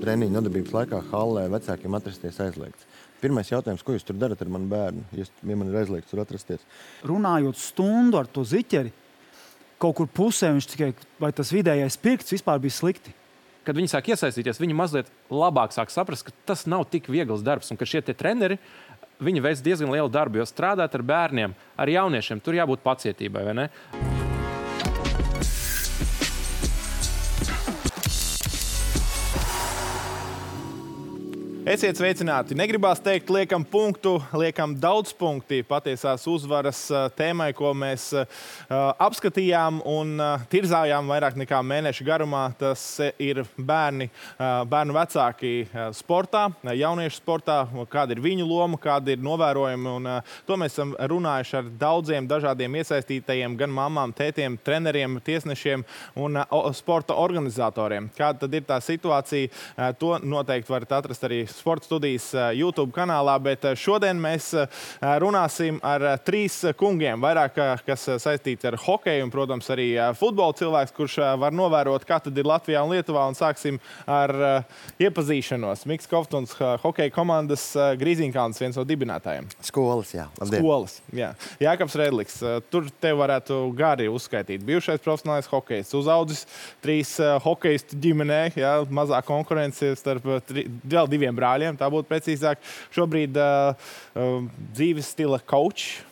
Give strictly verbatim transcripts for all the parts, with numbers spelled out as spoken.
treniņu nodarbības laikā hallē vecākiem atrasties aizliegts. Pirmais jautājums, ko jūs tur darat ar manu bērnu, ja man ir aizliegts tur atrasties? Runājot stundu ar to ziķeri, kaut kur pusē viņš tikai, vai tas vidējais pirksts vispār bija slikti. Kad viņi sāk iesaistīties, viņi mazliet labāk sāk saprast, ka tas nav tik viegls darbs un ka šie tie treneri, viņi veic diezgan lielu darbu, jo strādāt ar bērniem, ar jauniešiem, tur jābūt pacietībai, vai ne? Esiet sveicināti. Negribās teikt, liekam punktu, liekam daudz punkti patiesās uzvaras tēmai, ko mēs uh, apskatījām un uh, tirzājām vairāk nekā mēneša garumā. Tas ir bērni, uh, bērnu vecāki uh, sportā, jauniešu sportā, kāda ir viņu loma, kāda ir novērojumi. Un, uh, to mēs esam runājuši ar daudziem dažādiem iesaistītajiem, gan mamām, tētiem, treneriem, tiesnešiem un uh, sporta organizatoriem. Kāda tad ir tā situācija, uh, to noteikti varat atrast arī Sporta studijas YouTube kanālā, bet šodien mēs runāsim ar trīs kungiem, vairāk kas saistīts ar hokeju un, protams, arī futbola cilvēks, kurš var novērot, kā tad ir Latvijā un Lietuvā, un sāksim ar iepazīšanos. Miks Kovtuns, hokeja komandas Grīziņkalns, viens no dibinātājiem. Skolas, jā. Labdien. Skolas, jā. Jākabs Redliks, tur tev varētu gari uzskaitīt. Bijušais profesionālais hokejs, uzaudzis trīs hokejistu ģimenē, jā, mazā konkurence starp tri, vēl diviem brāļiem, tā būtu precīzāk. Šobrīd uh, uh, dzīves stila coach.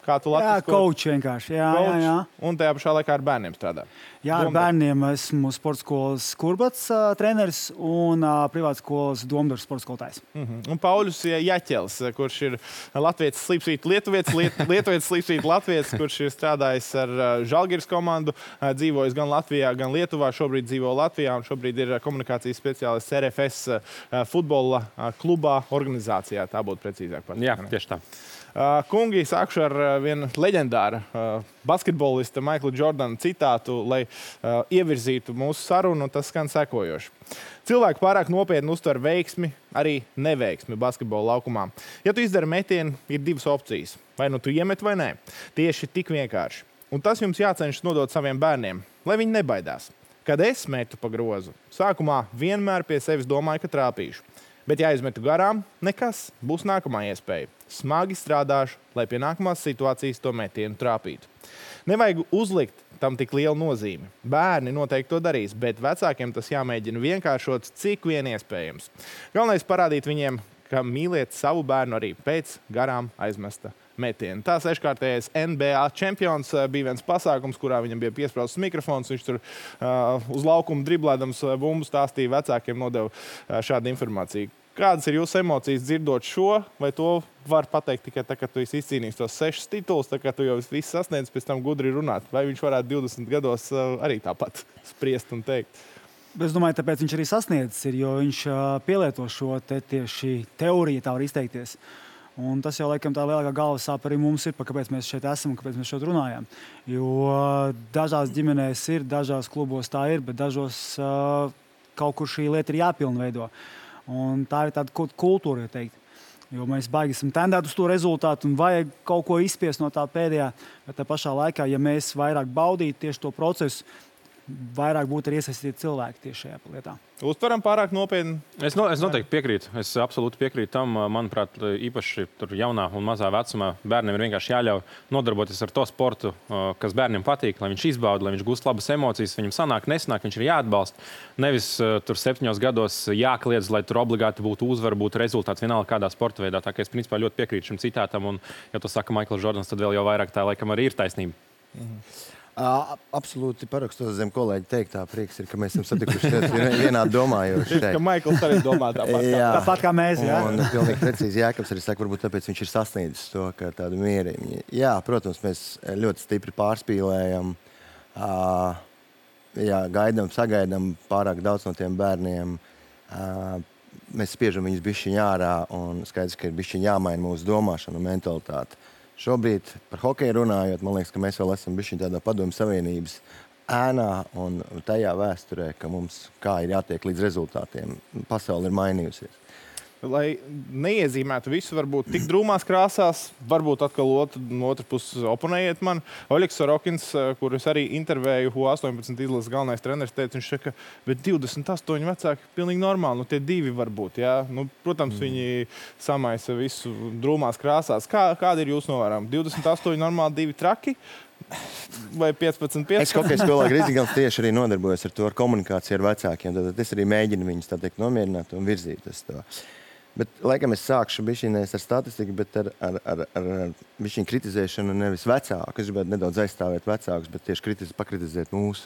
Kā tu Jā, latvisko? coach vienkārši. Jā, Coach, jā, jā. Un tajā pašā laikā ar bērniem strādā. Jā, ar bērniem esmu sporta skolas Kurbats uh, treneris un uh, privātas skolas Domdars sporta skolotājs. Uh-huh. Un Pauļus Jaķels, kurš ir latvietis slīpsvīt lietuvietis, liet, lietuvietis slīpsvīt latvietis, kurš ir strādājis ar uh, Žalgiris komandu, uh, dzīvojis gan Latvijā, gan Lietuvā, šobrīd dzīvo Latvijā un šobrīd ir komunikācijas speciālists R F S uh, futbola uh, klubā organizācijā. Tā būtu precīzāk par. Jā, tieši tā. Uh, kungi, sākšu ar uh, vienu leģendāru uh, basketbolista Maikla Jordana citātu, lai uh, ievirzītu mūsu sarunu, tas skan sekojoši. Cilvēki pārāk nopietni uztver veiksmi, arī neveiksmi basketbola laukumā. Ja tu izdari metienu, ir divas opcijas. Vai nu tu iemet vai nē. Tieši tik vienkārši. Un tas jums jācenšas nodot saviem bērniem, lai viņi nebaidās. Kad es metu pa grozu, sākumā vienmēr pie sevis domāju, ka trāpīšu. Bet ja aizmetu garām, nekas, būs nākamā iespēja. Smagi strādāšu, lai pie nākamās situācijas to metienu trāpītu. Nevajag uzlikt tam tik lielu nozīmi. Bērni noteikti to darīs, bet vecākiem tas jāmēģina vienkāršot, cik vien iespējams. Galvenais parādīt viņiem, ka mīliet savu bērnu arī pēc garām aizmesta metiena. Tā seškārtējais N B A čempions bija viens pasākums, kurā viņam bija piesprausts mikrofons. Viņš tur uh, uz laukumu driblēdams bumbu stāstīja vecākiem, nodeva uh, šādu informāciju. Kādas ir jūsu emocijas dzirdot šo, vai to var pateikt tikai tā, ka tu esi izcīnījis tos sešas tituls, tā kā tu jau viss sasniedz, pēc tam gudri runāt? Vai viņš varētu divdesmit gados uh, arī tāpat spriest un teikt? Es domāju, tāpēc viņš arī sasniedzis ir, jo viņš uh, pielieto šo te tieši teoriju, tā var izteikties. Un tas jau laikam tā lielākā galvas sāp arī mums ir, pa kāpēc mēs šeit esam un kāpēc mēs šeit runājam. Jo dažās ģimenēs ir, dažās klubos tā ir, bet dažos uh, kaut kur šī lieta ir jāpilnveido. Un tā ir tāda kultūra, ja teikt. Jo mēs baigi esam tendēt uz to rezultātu un vajag kaut ko izspiest no tā pēdējā. Bet tā pašā laikā, ja mēs vairāk baudītu tieši to procesu, vairāk būtu arī iesaistīti cilvēki tieši šajā lietā. Uztveram pārāk nopietni? Es, no, es noteikti piekrītu. Es absolūti piekrītu tam. Manuprāt, īpaši tur jaunā un mazā vecumā bērniem ir vienkārši jāļauj nodarboties ar to sportu, kas bērniem patīk, lai viņš izbauda, lai viņš gūst labas emocijas, viņam sanāk, nesanāk, viņš ir jāatbalsta. Nevis tur septiņos gados jākliedz, lai tur obligāti būtu uzvara, būtu rezultāts vienalga kādā sporta veidā. Tā kā es principā ļoti piekrītu šim citātam, un ja to saka Maikls Jordans, tad vēl jau vairāk tā laikam arī ir taisnība. Mhm. Uh, absolūti parakstos zem kolēģi teiktā. Prieks ir, ka mēs esam satikušies vienādi domājoši. Ka Maikls arī domā tāpat kā, tāpat kā mēs. Jā. Un pilnīgi precīzi Jākabs arī saka, varbūt tāpēc viņš ir sasniedzis to, ka tādu mierību. Jā, protams, mēs ļoti stipri pārspīlējam. Uh, jā, gaidām, sagaidām pārāk daudz no tiem bērniem. Uh, mēs spiežam viņus bišķiņ ārā un skaidrs, ka ir bišķiņ jāmaina mūsu domāšana un mentalitāte. Šobrīd par hokeju runājot, man liekas, ka mēs vēl esam bišķiņ tādā Padomju Savienības ēnā un tajā vēsturē, ka mums kā ir jātiek līdz rezultātiem. Pasaule ir mainījusies. lai neiezīmētu visu, varbūt tik drūmās krāsās, varbūt atkal otru, no otras puses oponējiet man. Oļegs Sorokins, kurus arī intervēju, U astoņpadsmit izlases galvenais treneris, teica, viņš saka, bet divdesmit astoņi vecāki pilnīgi normāli, nu tie divi varbūt, jā. Nu, protams, mm. viņi samaisa visu drūmās krāsās. Kā, kāda ir jūsu novērojuma? divdesmit astoņi normāli, divi traki? Vai piecpadsmit, piecpadsmit? Es hokeja skolā Grīzigals tieši arī nodarbojos ar to, ar komunikāciju ar vecākiem. Tad es arī mēģinu viņus tā teikt nomierināt un virzīt uz to. Bet, laikam, es sākšu bišķinēs ar statistiku, bet ar, ar, ar, ar, ar bišķiņu kritizēšanu nevis vecāku. Es gribētu nedaudz aizstāvēt vecākus, bet tieši kritiz, pakritizēt mūs,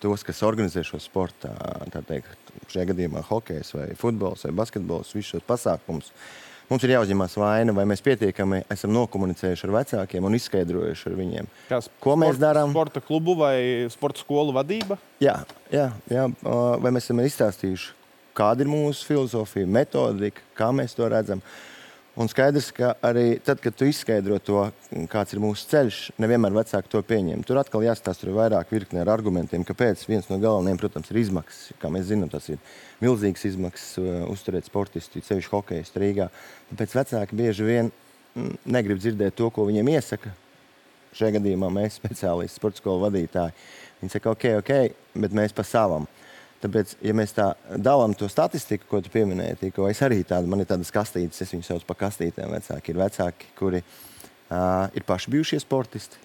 tos, kas organizē šo sportā, tā teikt, šajā gadījumā hokejs vai futbols vai basketbols, visus šos pasākumus. Mums ir jāuzņemās vaina, vai mēs pietiekami esam nokomunicējuši ar vecākiem un izskaidrojuši ar viņiem. Kā ko mēs darām? Sporta klubu vai sporta skolu vadība? Jā, jā, jā. Vai mēs esam izstāstījuši, kāda ir mūsu filozofija, metodika, kā mēs to redzam. Un skaidrs, ka arī tad, kad tu izskaidro to, kāds ir mūsu ceļš, nevienmēr vecāki to pieņem. Tur atkal jāstāsta tur vairāk virknē ar argumentiem, kāpēc viens no galvenajiem, protams, ir izmaksas. Kā mēs zinām, tas ir milzīgas izmaksas uh, uzturēt sportistu, sevišķi hokejistu Rīgā. Tāpēc vecāki bieži vien mm, negrib dzirdēt to, ko viņiem iesaka. Šajā gadījumā mēs, speciālisti, sporta skolu vadītāji, viņi saka, ok, ok, bet mēs pa savam. Tāpēc, ja mēs tā dalām to statistiku, ko tu pieminēji, Tīko, es arī tādu, man ir tādas kastītes, es viņu sauc par kastītēm vecāki. Ir vecāki, kuri uh, ir paši bijušie sportisti,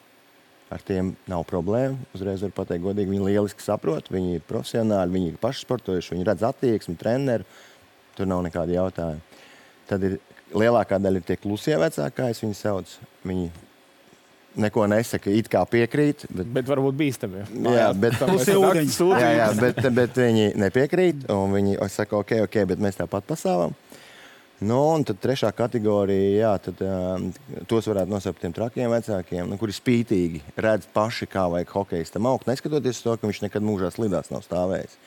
ar tiem nav problēma. Uzreiz var pateikt godīgi, viņi lieliski saprot, viņi ir profesionāli, viņi ir paši sportojuši, viņi redz attieksmi, treneru, tur nav nekādi jautājumi. Tad ir lielākā daļa ir tie klusie vecāki, kā es viņu sauc, viņi neko nesaka, it kā piekrīt. Bet, bet varbūt bīstami. Jā, bet, jā, jā, bet, bet viņi nepiekrīt, un viņi saka, ok, ok, bet mēs tāpat pasāvam. Nu, un tad trešā kategorija, jā, tad um, tos varētu nosaukt tiem trakiem vecākiem, nu, kuri spītīgi redz paši, kā vajag hokejistam augt, neskatoties to, ka viņš nekad mūžā slidās nav stāvējis.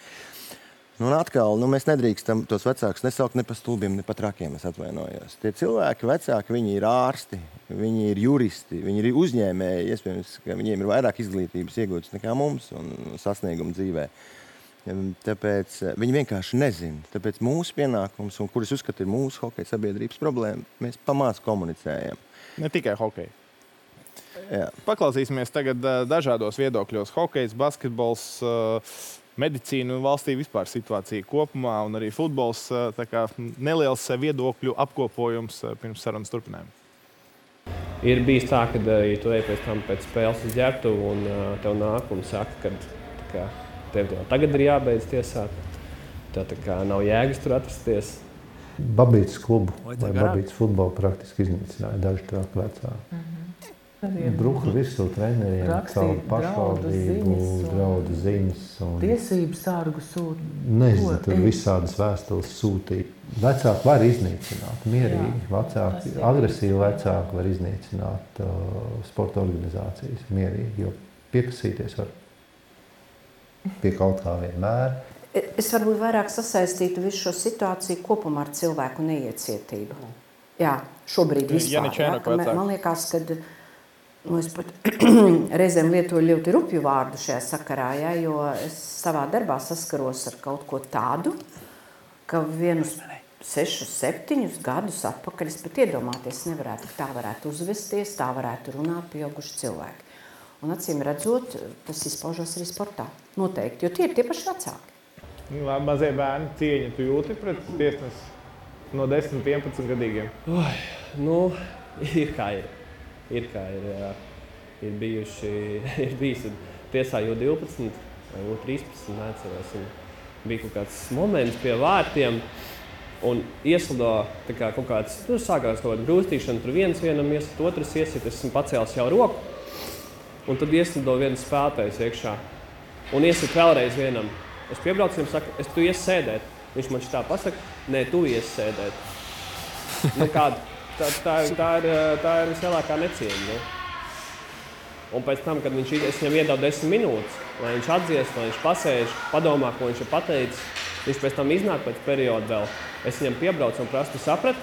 Nu, un atkal, nu, mēs nedrīkstam tos vecākus nesaukt ne pa stulbiem, ne pa trakiem, es atvainojos. Tie cilvēki, vecāki, viņi ir ārsti, viņi ir juristi, viņi ir uzņēmēji, iespējams, ka viņiem ir vairāk izglītības iegūtas nekā mums un sasniegumu dzīvē. Tāpēc viņi vienkārši nezina. Tāpēc mūsu pienākums, un kuras uzskata ir mūsu hokeja sabiedrības problēma, mēs pamāc komunicējam. Ne tikai hokeja. Jā. Paklausīsimies tagad dažādos viedokļos. Hokejs, basketbols, medicīna un valstī vispār situācija kopumā, un arī futbols, tā kā neliels viedokļu apkopojums pirms sarunas turpinājuma. Ir bijis tā, ka, ja tu ej pēc tam pēc spēles uz ģērbtuvu un tev nāk un saka, ka tev jau tagad ir jābeidz tiesāt, tev tā kā nav jēgas tur atrasties. Babītas klubu vai Babītas futbolu praktiski iznīcināja daži traki vecāki. Mm-hmm. Bruka virsū treneriem, caur pašvaldību, draudu ziņas. Un... Tiesības sārgu sūt. Nezinu, tur visādas vēstules sūtīt. Vecāki var iznīcināt, mierīgi. Vecāki, agresīvi vecāki var iznīcināt uh, sporta organizācijas mierīgi, jo piekasīties var pie kaut kā vienmēr. Es varbūt vairāk sasaistītu visu šo situāciju kopumā ar cilvēku neiecietību. Jā, šobrīd vispār. Jā, ka man liekas, ka nu, es pat reizēm lietoju ļoti rupju vārdu šajā sakarā, ja, jo es savā darbā saskaros ar kaut ko tādu, ka vienus sešus, septiņus gadus atpakaļ es pat iedomāties nevarētu, tā varētu uzvesties, tā varētu runāt pieauguši cilvēki. Un acīm redzot, tas izpaužos arī sportā. Noteikti, jo tie ir tie paši vecāki. Mazie bērni cieņa tu jūti pret tiesnesi no desmit, vienpadsmit gadīgiem? Oi, nu, ir kā ir. Ir kā ir, jā. Ir bijuši, ir bijis tiesā jau divpadsmit vai jau trīspadsmit, neatceros. Un bija kaut kāds moments pie vārtiem un ieslido tā kā kaut kāds, tur sākās kaut kāda grūstīšana, tur viens vienam iesit, otrs iesit, es esmu pacēlis jau roku. Un tad ieslido viens spēlētājs iekšā un iesit vēlreiz vienam. Es piebraucu viņam, saku, es tu ies sēdēt. Viņš man šitā pasaka, nē, tu ies sēdēt. Nu kāda? Tā, tā, tā, ir, tā ir vislielākā necieņa. Nu. Un pēc tam, kad viņš, es viņam iedevu desmit minūtes, lai viņš atdzies, lai viņš pasēž, padomā, ko viņš ir pateicis, viņš pēc tam iznāk pēc perioda vēl. Es viņam piebraucu un prastu saprat,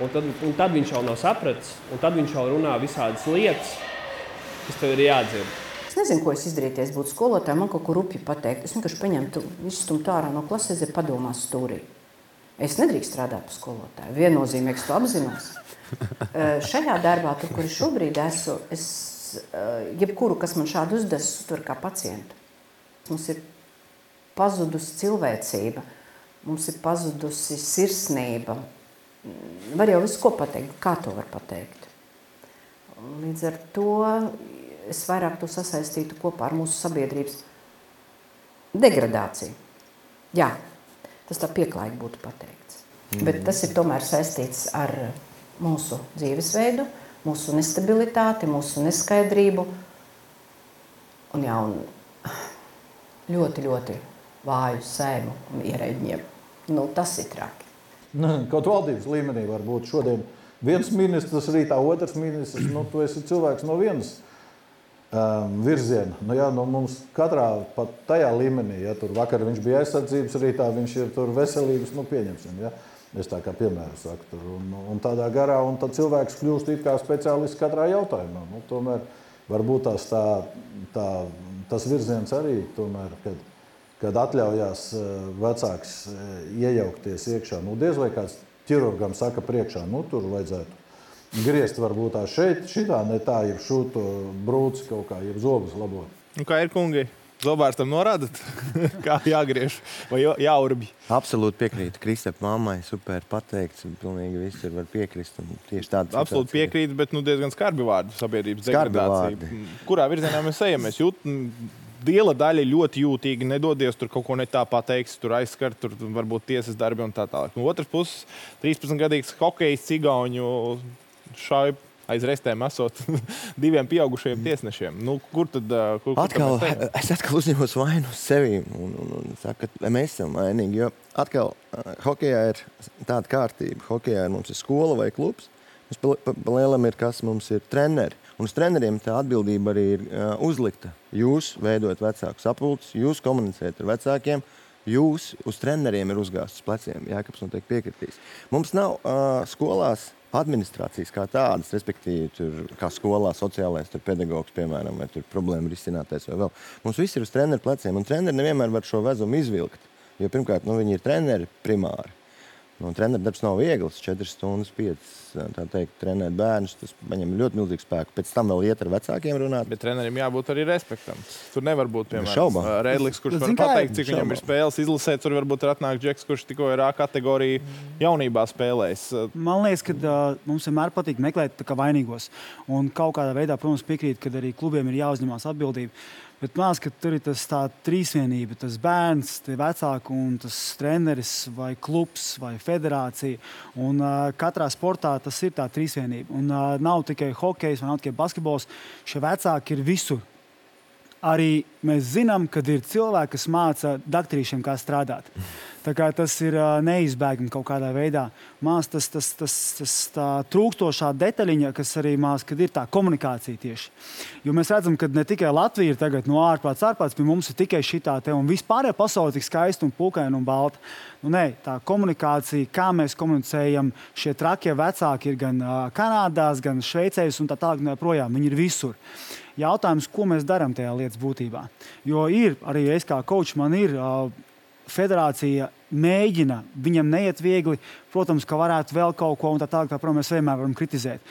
un tad, un tad viņš jau nav sapratis, un tad viņš jau runā visādas lietas, kas tev ir jādzird. Es nezinu, ko es izdarītu, ja es būtu skolotāja, man kaut ko rupji pateikt. Es vienkārši paņemtu, izstumtu ārā no klases, ja padomās stūrī. Es nedrīkst strādāt par skolotāju. Viennozīmīgi to apzinos. Šajā darbā, tur, kur es šobrīd esmu, es jebkuru, kas man šādu uzdes, uztver kā pacientu. Mums ir pazudusi cilvēcība, mums ir pazudusi sirsnība. Var jau visu ko pateikt, kā to var pateikt. Līdz ar to es vairāk to sasaistītu kopā ar mūsu sabiedrības degradāciju. Jā, tas tā pieklājīgi būtu pateikts. Mm. Bet tas ir tomēr saistīts ar mūsu dzīvesveidu, mūsu nestabilitāti, mūsu neskaidrību un, jā, un ļoti, ļoti vāju sēmu un ierēģiem. Nu, tas ir traki. Nu, kaut valdības līmenī var būt šodien viens ministrs, rītā otrs ministrs. Nu, tu esi cilvēks no vienas um, virziena. Nu, jā, nu, mums katrā pat tajā līmenī, ja tur vakar viņš bija aizsardzības, rītā viņš ir tur veselības, nu pieņemsim, ja. Es tā kā piemēru saku tur. Un, un tādā garā, un tad cilvēks kļūst it kā speciālists katrā jautājumā. Nu, tomēr varbūt tās tā, tā, tas virziens arī tomēr, kad, kad atļaujās vecāks iejaukties iekšā. Nu, diez vai kāds ķirurgam saka priekšā, nu, tur vajadzētu griezt varbūt tā šeit, šitā, ne tā, jeb šūto brūci kaut kā, jeb zobus labot. Un kā ir, kungi? Zobārstam norādat, kā jāgriež vai jāurbj? Absolūti piekrītu. Kristap mammai super pateikts, un pilnīgi viss ir var piekrist. Tieši tāds Absolūti piekrītu, bet nu, diezgan skarbi vārdi sabiedrības degradācija. Kurā virzienā mēs ejam? Mēs jūt, liela daļa ļoti jūtīgi, nedodies tur kaut ko ne tā pateiks, tur aizskar, tur varbūt tiesas darbi un tā tālāk. No otras puses, trīspadsmitgadīgs hokejs Cigauņu šauj aiz restēm esot diviem pieaugušajiem tiesnešiem. Nu, kur tad, kur, kur atkal, es atkal uzņemos vainu uz sevi un, un, un saku, ka mēs esam vainīgi, jo atkal hokejā ir tāda kārtība. Hokejā ir mums ir skola vai klubs, mums pa, pa, pa lielam ir kas, mums ir treneri. Un uz treneriem tā atbildība arī ir uh, uzlikta. Jūs veidojat vecāku sapulces, jūs komunicējat ar vecākiem, jūs uz treneriem ir uzgāstas pleciem. Jākaps noteikti piekritīs. Mums nav uh, skolās administrācijas kā tādas, respektīvi, tur, kā skolā sociālais tur pedagogs, piemēram, vai tur problēma risinātais vai vēl. Mums viss ir uz treneru pleciem, un treneri nevienmēr var šo vezumu izvilkt, jo pirmkārt, nu, viņi ir treneri primāri. Nu, treneru darbs nav viegls, četras stundas, piecas, tā teikt, trenēt bērnus, tas viņam ļoti milzīgu spēku. Pēc tam vēl iet ar vecākiem runāt. Bet trenerim jābūt arī respektam. Tur nevar būt, piemēram, Rēdliks, kurš var pateikt, cik viņam ir spēles izlasēt, tur varbūt ir atnāk Džeks, kurš tikko ir A kategorija jaunībā spēlējis. Man liekas, ka uh, mums vienmēr patīk meklēt tā kā vainīgos. Un kaut kādā veidā, protams, piekrīt, ka arī klubiem ir jāuzņemās atbildība. Bet man liekas, ka tur ir tas tā trīsvienība, tas bērns, tie vecāki un tas treneris vai klubs vai federācija. Un uh, katrā sportā tas ir tā trīsvienība. Un uh, nav tikai hokejs vai nav tikai basketbols. Šie vecāki ir visur. Arī mēs zinām, ka ir cilvēki, kas māca daktarīšiem, kā strādāt. Tā kā tas ir uh, neizbēgami kaut kādā veidā. Mās tas, tas, tas, tas tā trūkstošā detaļiņa, kas arī mās, kad ir tā komunikācija tieši. Jo mēs redzam, ka ne tikai Latvija ir tagad no ārprāts, ārprāts, bet mums ir tikai šitā te un vispārējā pasaule tik skaista un pūkaina un balta. Nu, nē, tā komunikācija, kā mēs komunicējam, šie trakie vecāki ir gan uh, Kanādās, gan Šveicēs un tā tālāk projām. Viņi ir visur. Jautājums, ko mēs darām tajā lietas būtībā. Jo ir, arī es kā coach, man ir uh, federācija mēģina, viņam neiet viegli, protams, ka varētu vēl kaut ko un tā tālāk, tā, protams, mēs vienmēr varam kritizēt.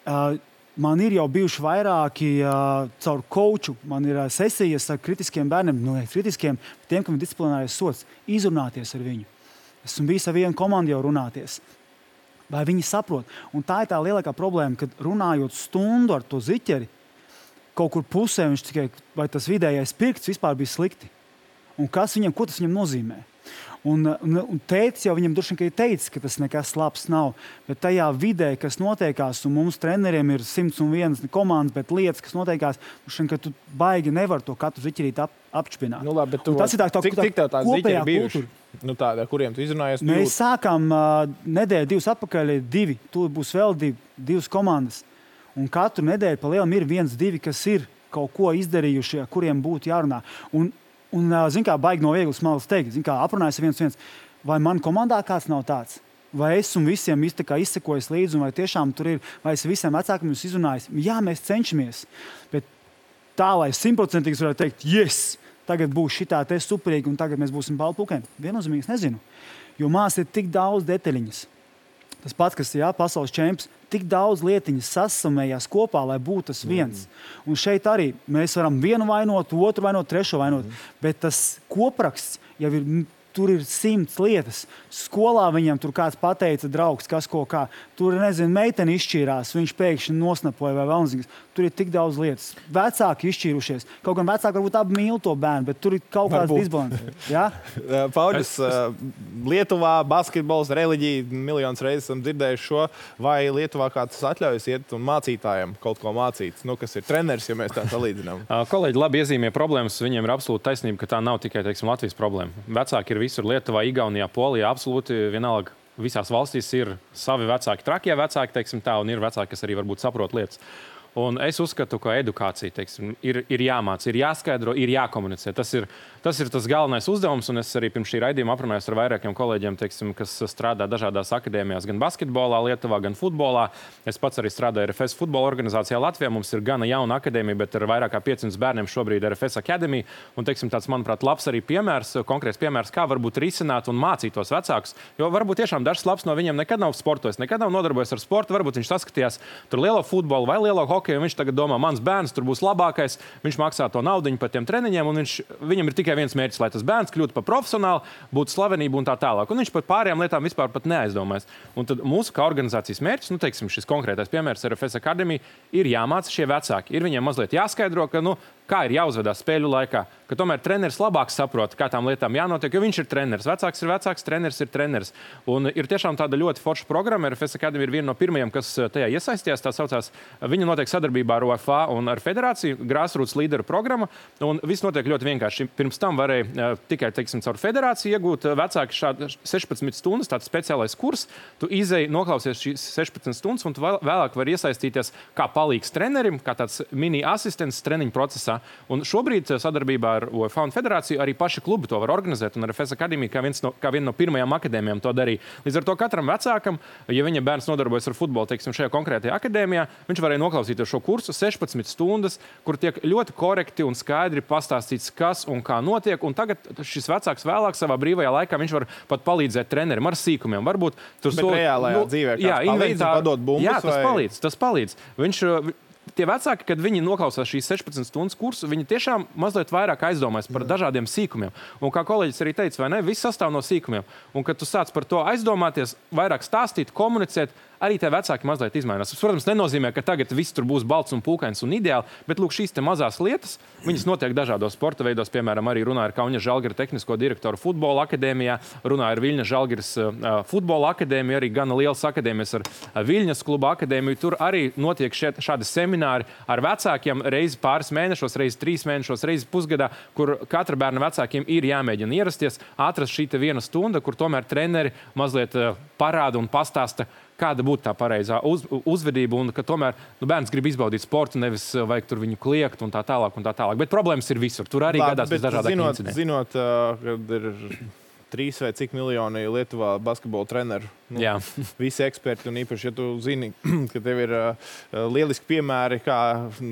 Uh, man ir jau bijuši vairāki uh, caur coachu, man ir uh, sesijas ar kritiskiem bērniem, nu, ne kritiskiem, tiem, kam ir disciplinārais sots, izrunāties ar viņu. Esmu bijis ar vienu komandu jau runāties. Vai viņi saprot? Un tā ir tā lielākā problēma, kad runājot stundu ar to ziķeri, kaut kur pusē viņš tikai, vai tas vidējais pirksts vispār bija slikti. Un kas viņam, ko tas viņam nozīmē? Un, un, un tētis jau viņam droši vien teica, ka tas nekas labs nav. Bet tajā vidē, kas notiekās, un mums treneriem ir simts un vienas komandas, bet lietas, kas notiekās, šeit, ka tu baigi nevar to katru ziķerīt ap, apšpināt. Nu, labi, bet tu, tas ir tā, tā, cik, tā, cik tev tās kopējā ziķeri bijuši? kultūra. Nu tāda, kuriem tu izrunājies? Mēs jūt? sākām uh, nedēļu divas atpakaļ, divi, tur būs vēl divi, divas komandas. Un katru nedēļu pa lielam ir viens, divi, kas ir kaut ko izdarījuši, kuriem būtu jārunā. Un, un zin kā, baigi no vieglas malas teikt, zin kā, aprunājas viens viens, vai man komandā kāds nav tāds? Vai es un visiem izsekojos līdzi, un vai tiešām tur ir, vai es visiem vecākiem jūs izrunājis? Jā, mēs cenšamies, bet tā, lai simtprocentīgi varētu teikt, yes, tagad būs šitā te superīgi, un tagad mēs būsim baltpūkēm. Viennozīmīgi es nezinu. Jo māsas ir tik daudz detaļiņas. Tas pats, kas ir pasaules čempions, tik daudz lietiņas sasamējās kopā, lai būtu tas viens. Mm. Un šeit arī mēs varam vienu vainot, otru vainot, trešo vainot, mm. bet tas kopraksts jau ir, tur ir simts lietas. Skolā viņam tur kāds pateica, draugs, kas ko kā. Tur, nezinu, meiteni izšķīrās, viņš pēkšņi nosnapoja vai vēl nezinu. Tur ir tik daudz lietas. Vecāki izšķīrušies. Kaut gan vecāki varbūt abi mīl to bērnu, bet tur ir kaut kāds disbalans. Ja? Pauļus, Lietuvā basketbols, reliģija, miljonus reizes esam dzirdējuši šo, vai Lietuvā kāds atļaujas iet un mācītājiem kaut ko mācīt, nu, kas ir treneris, ja mēs tā salīdzinām. Kolēģi labi iezīmē problēmas, viņiem ir absolūti taisnība, ka tā nav tikai, teiksim, Latvijas problēma. Vecāki ir visur Lietuvā, Igaunijā, Polijā, absolūti vienalga. Visās valstīs ir savi vecāki, trakie vecāki, teiksim tā, un ir vecāki, kas arī varbūt saprot lietas. Un es uzskatu, ka edukācija, teiksim, ir, ir jāmāc, ir jāskaidro, ir jākomunicē. Tas ir, tas ir tas galvenais uzdevums, un es arī pirms šī raidījuma aprunājos ar vairākiem kolēģiem, teiksim, kas strādā dažādās akadēmijās, gan basketbolā Lietuvā, gan futbolā. Es pats arī strādāju R F S futbola organizācijā Latvijā. Mums ir gana jauna akadēmija, bet ar vairāk kā piecsimt bērniem šobrīd R F S akadēmija. Un, teiksim, tāds, manuprāt, labs arī piemērs, konkrēts piemērs, kā varbūt risināt un mācīt tos vecākus. Jo varbūt tiešām dažs labs no viņiem nekad nav sportojis, nekad nav nodarbojies ar sportu. Varbūt viņš saskatījās tur lielo futbolu vai lielo hokeju. Viņš tagad domā, mans bērns tur būs labākais, viņš maksā to naudiņu par tiem treniņiem, un viņš, viņam ir tikai viens mērķis, lai tas bērns kļūtu par profesionālu, būtu slavenību un tā tālāk. Un viņš par pārējām lietām vispār pat neaizdomājas. Un tad mūsu kā organizācijas mērķis, nu, teiksim, šis konkrētais piemērs R F S akadēmija, ir jāmāca šie vecāki. Ir viņiem mazliet jāskaidro, ka, nu, kā ir jāuzvedās spēļu laikā, ka tomēr treneris labāk saprot, kā tām lietām jānotiek, jo viņš ir treneris. Vecāks ir vecāks, treneris ir treneris. Un ir tiešām tāda ļoti forša programma. R F S akadēmija ir viena no pirmajiem, kas tajā iesaistījās. Tā saucās, viņa notiek sadarbībā ar O F A un ar federāciju, Grassroots līderu programma. Un viss notiek ļoti vienkārši. Pirms tam varēja tikai, teiksim, caur federāciju iegūt vecāki šādu sešpadsmit stundas, tāds speciālais kurs. Tu izēji, noklausies šīs sešpadsmit stundas, un tu vēlāk vari iesaistīties kā palīgs trenerim, kā tāds mini asistents treniņu procesā. Un šobrīd sadarbībā ar O F A un federāciju arī paši klubi to var organizēt, un R F S akadēmija kā, viens no, kā viena no pirmajām akadēmijām to darīja. Līdz ar to katram vecākam, ja viņa bērns nodarbojas ar futbolu, teiksim, šajā konkrētajā akadēmijā, viņš varēja noklausīties šo kursu sešpadsmit stundas, kur tiek ļoti korekti un skaidri pastāstīts, kas un kā notiek. Un tagad šis vecāks vēlāk savā brīvajā laikā viņš var pat palīdzēt trenerim ar sīkumiem. Varbūt tur so, reālajā nu, dzīvē jā, palīdz, padot bumbas, jā, tas vai... palīdz, tas palīdz. Viņš, tie vecāki, kad viņi noklausās šīs sešpadsmit stundas kursu, viņi tiešām mazliet vairāk aizdomājas par dažādiem sīkumiem. Un kā kolēģis arī teica, vai ne, viss sastāv no sīkumiem. Un kad tu sāc par to aizdomāties, vairāk stāstīt, komunicēt, arī tie vecāki mazliet izmainās. Tas, protams, nenozīmē, ka tagad viss tur būs balts un pūkains un ideāli, bet lūk, šīs te mazās lietas, viņas notiek dažādos sporta veidos. Piemēram, arī runāja ar Kaunas Žalgiris tehnisko direktoru futbola akadēmijā, runāja ar Viļņas Žalgiris uh, futbola akadēmiju, arī gana liels akadēmijas ar uh, Viļņas kluba akadēmiju. Tur arī notiek šeit, šādi semināri ar vecākiem reizi pāris mēnešos, reizi trīs mēnešos, reizi pusgadā, kur katra bērna vecākiem ir jāmēģina ierasties, atrast šī te viena stunda, kur tomēr treneri mazliet uh, parāda un pastāsta, kāda būtu tā pareizā uz, uzvedība, un ka tomēr nu, bērns grib izbaudīt sportu, nevis vajag tur viņu kliegt un tā tālāk un tā tālāk. Bet problēmas ir visur. Tur arī gadās visdažādāk incidenti. Zinot, uh, kad ir trīs vai cik miljoni Lietuvā basketbola treneru, nu, visi eksperti, un īpaši, ja tu zini, ka tev ir uh, lieliski piemēri, kā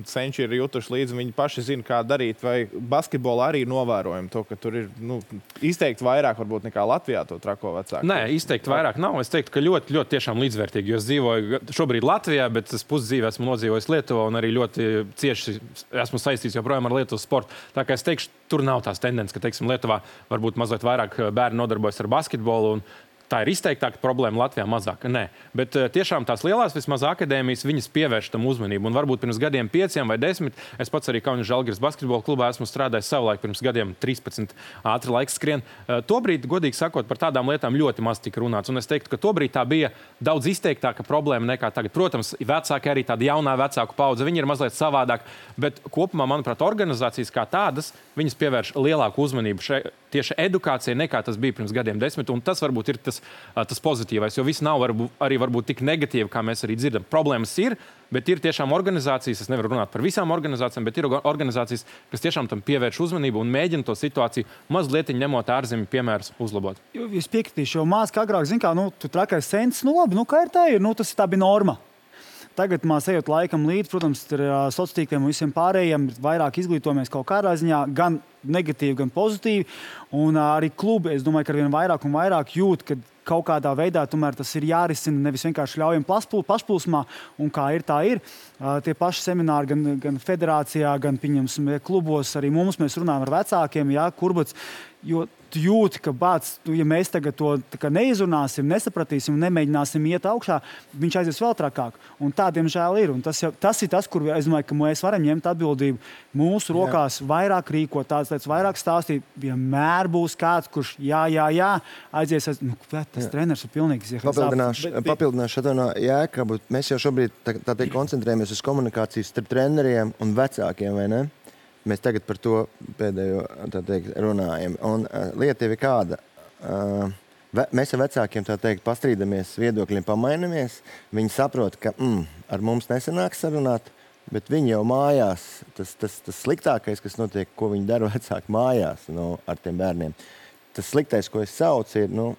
senči ir jutuši līdzi, viņi paši zina, kā darīt, vai basketbolā arī novērojam to, ka tur ir nu, izteikti vairāk varbūt nekā Latvijā to trako vecāku. Nē, izteikti vairāk nav. Es teiktu, ka ļoti, ļoti tiešām līdzvērtīgi, jo es dzīvoju šobrīd Latvijā, bet es pusdzīvi esmu nodzīvojis Lietuvā un arī ļoti cieši esmu saistīts joprojām ar Lietuvas sportu. Tā kā es teikšu, tur nav tās tendences, ka, teiksim, Lietuvā varbūt mazliet vairāk bērni nodarbojas ar basketbolu, un tā ir izteiktāka problēma, Latvijā mazāk. Nē, bet tiešām tās lielās vismaz akadēmijas, viņas pievērš tam uzmanību. Un varbūt pirms gadiem pieciem vai desmit, es pats arī Kaunas Žalgiris basketbola klubā esmu strādājis savulaik pirms gadiem trīspadsmit, ātri laiks skrien. Tobrīd, godīgi sakot, par tādām lietām ļoti maz tika runāts. Un es teiktu, ka tobrīd tā bija daudz izteiktāka problēma nekā tagad. Protams, vecāki arī tāda jaunā vecāku paudze, viņi ir mazliet savādāk, bet kopumā, manuprāt, organizācijas kā tādas, viņas pievērš lielāku uzmanību šai tieši edukācijai nekā tas bija pirms gadiem desmit. Un tas varbūt ir tas tas pozitīvais, jo viss nav varbūt, arī varbūt tik negatīvi, kā mēs arī dzirdam. Problēmas ir, bet ir tiešām organizācijas, es nevaru runāt par visām organizācijām, bet ir organizācijas, kas tiešām tam pievērš uzmanību un mēģina to situāciju mazliet ņemot ārzemju piemērus uzlabot. Es piekritīšu, jo mās kā agrāk, zin kā, nu, tu trakais sens, nu labi, nu kā ir tā ir, nu tas tā bija norma. Tagad mēs ejot laikam līdz, protams, ar sociāliem tīkliem un visiem pārējiem, vairāk izglītojamies kaut kādā ziņā, gan negatīvi, gan pozitīvi. Un arī klubi, es domāju, ka ar vien vairāk un vairāk jūt, ka kaut kādā veidā tomēr tas ir jārisina, nevis vienkārši ļaujam pašplūsmā, un kā ir, tā ir. Uh, tie paši semināri gan, gan federācijā, gan pieņemsim klubos, arī mums mēs runājam ar vecākiem, jā, kurbats, jo tu jūti, ka bāc, tu, ja mēs tagad to neizrunāsim, nesapratīsim un nemēģināsim iet augšā, viņš aizies vēl trakāk. Un tā, diemžēl, ir. Un tas, jau, tas ir tas, kur es domāju, ka mēs varam ņemt atbildību mūsu rokās, jā. Vairāk rīkot, tādas lietas, vairāk stāstīt. Vienmēr būs kāds, kurš jā, jā, jā, aizies. aiz... Nu, tas jā. Treneris ir pilnīgs. Papildināšu, bet... papildināšu no Jēkabu. Mēs jau šobrīd tā, tā teikt, koncentrējamies uz komunikācijas starp treneriem un vecākiem, vai ne? Mēs tagad par to pēdējo tā teikt, runājam. Un uh, lieta ir kāda. Uh, ve, mēs ar vecākiem tā teikt, pastrīdamies, viedokļiem pamainamies. Viņi saprot, ka mm, ar mums nesanāks sarunāt, bet viņi jau mājās, tas, tas, tas sliktākais, kas notiek, ko viņi dara vecāki mājās nu, ar tiem bērniem. Tas sliktais, ko es saucu, ir, nu,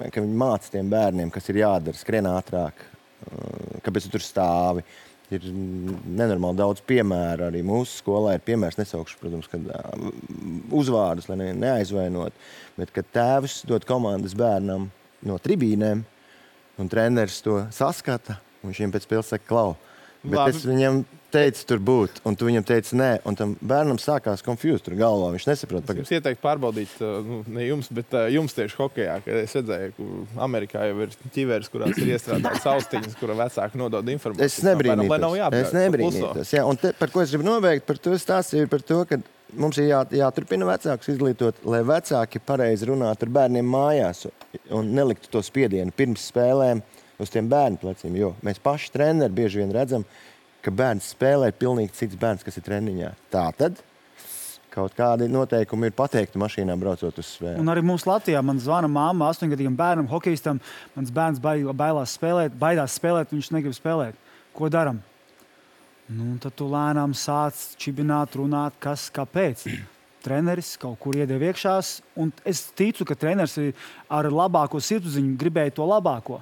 ka viņi māca tiem bērniem, kas ir jādara, skrien ātrāk, uh, kāpēc tu tur stāvi. Ir nenormāli daudz piemēru. Arī mūsu skolā ir piemērs, nesaukšu, protams, kad uh, uzvārdus, lai ne, neaizvainot, bet kad tēvs dod komandas bērnam no tribīnēm un treneris to saskata, un viņš viņam pēc spēles saka, klau. Bet Labi. Es viņam teicu tur būt, un tu viņam teici nē, un tam bērnam sākās confused tur galvā, viņš nesaprot. Es jums ieteiktu pārbaudīt, nu, ne jums, bet uh, jums tieši hokejā, kad es redzēju, ka Amerikā jau ir ķiveres, kurās ir iestrādāts austiņas, kura vecāki nodod informāciju. Es nebrīnītos, es nebrīnītos, jā, un te, par ko es gribu nobeigt, par to stāstīju, par to, ka mums ir jā, jāturpina vecākus izglītot, lai vecāki pareizi runātu ar bērniem mājās un neliktu to spiedienu pirms spēlēm uz tiem bērnu pleciem, jo mēs paši treneri bieži vien redzam, ka bērns spēlē pilnīgi cits bērns, kas ir treniņā. Tātad kaut kādi noteikumi ir pateikti mašīnā braucot uz spēli. Un arī mums Latvijā man zvana mamma astoņgadīgam bērnam, hokejistam, mans bērns bailās spēlēt, baidās spēlēt, viņš negrib spēlēt. Ko daram? Nu, tad tu lēnām sāc čibināt, runāt, kas, kāpēc. Treneris kaut kur iedeva iekšās, un es ticu, ka treneris ar labāko sirdsapziņu gribēja to labāko.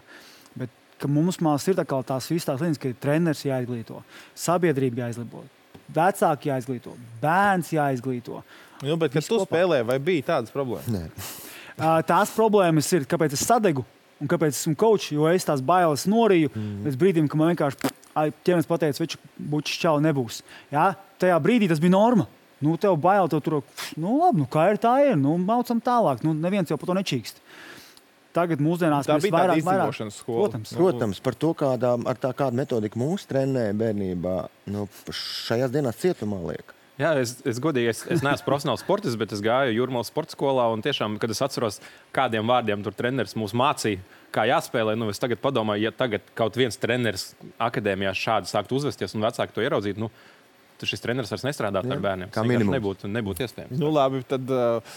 Bet ka mums mās ir tā kā tās visas tās lietas, ka treneris jāizglīto, sabiedrība jāizglīto, vecāki jāizglīto, bērns jāizglīto. Nu, bet, kad tu spēlē, vai bija tādas problēmas? Nē. Tās problēmas ir, kāpēc es sadegu un kāpēc esmu coach, jo es tās bailes noriju mm. līdz brīdim, ka man vienkārši ķermenis pateica, veču bučs čau nebūs. Jā? Tajā brīdī tas bija norma. Nu, tev bail, tev tur, nu labi, nu kā ir tā ir, nu maucam tālāk, nu neviens jau par to nečīkst. Tagad mūsdienās tā mēs bija vairāk, tāda izdzīvošanas skola. Protams. Protams, par to, kādā, ar tā kādu metodiku mūsu trenēja bērnībā, nu, šajās dienās cietumā liek. Jā, es, es godīgi, es, es neesmu profesionāls sportists, bet es gāju Jūrmalas sporta skolā, un tiešām, kad es atceros, kādiem vārdiem tur treneris mūs mācīja, kā jāspēlē, nu, es tagad padomāju, ja tagad kaut viens treneris akadēmijā šādi sāktu uzvesties un vecāki to ieraudzīt, nu, tad šis treneris vairs nestrādātu ar bērniem. Kā minimums. Nebūtu, nebūtu iespējams. Nu, labi, tad uh,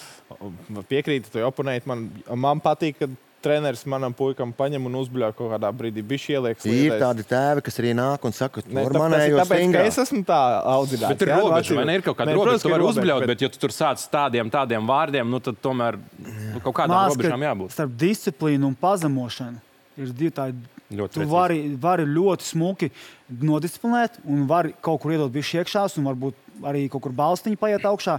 piekrītu, tu oponēji. Man, man patīk, ka treneris manam puikam paņem un uzbļauj kaut kādā brīdī. Bišķi ieliek slīdēs. Ir tādi tēvi, kas arī nāk un saka, ne, tur manējo tāpēc, stingrā. Tāpēc, ka es esmu tā audzināts. Bet ir robeža, vai ne? Ir kaut kāda robeža, tu vari uzbļaut, bet... bet ja tu tur sāc tādiem, tādiem vārdiem, nu tad tomēr nu, kaut kādām Māc, robežām jābūt. Starp disciplīnu un pazemošanu ir divi tādi. Ļoti tu vari, vari ļoti smuki nodisciplinēt un vari kaut kur iedot bišķi iekšās un varbūt arī kaut kur balstiņu paiet augšā,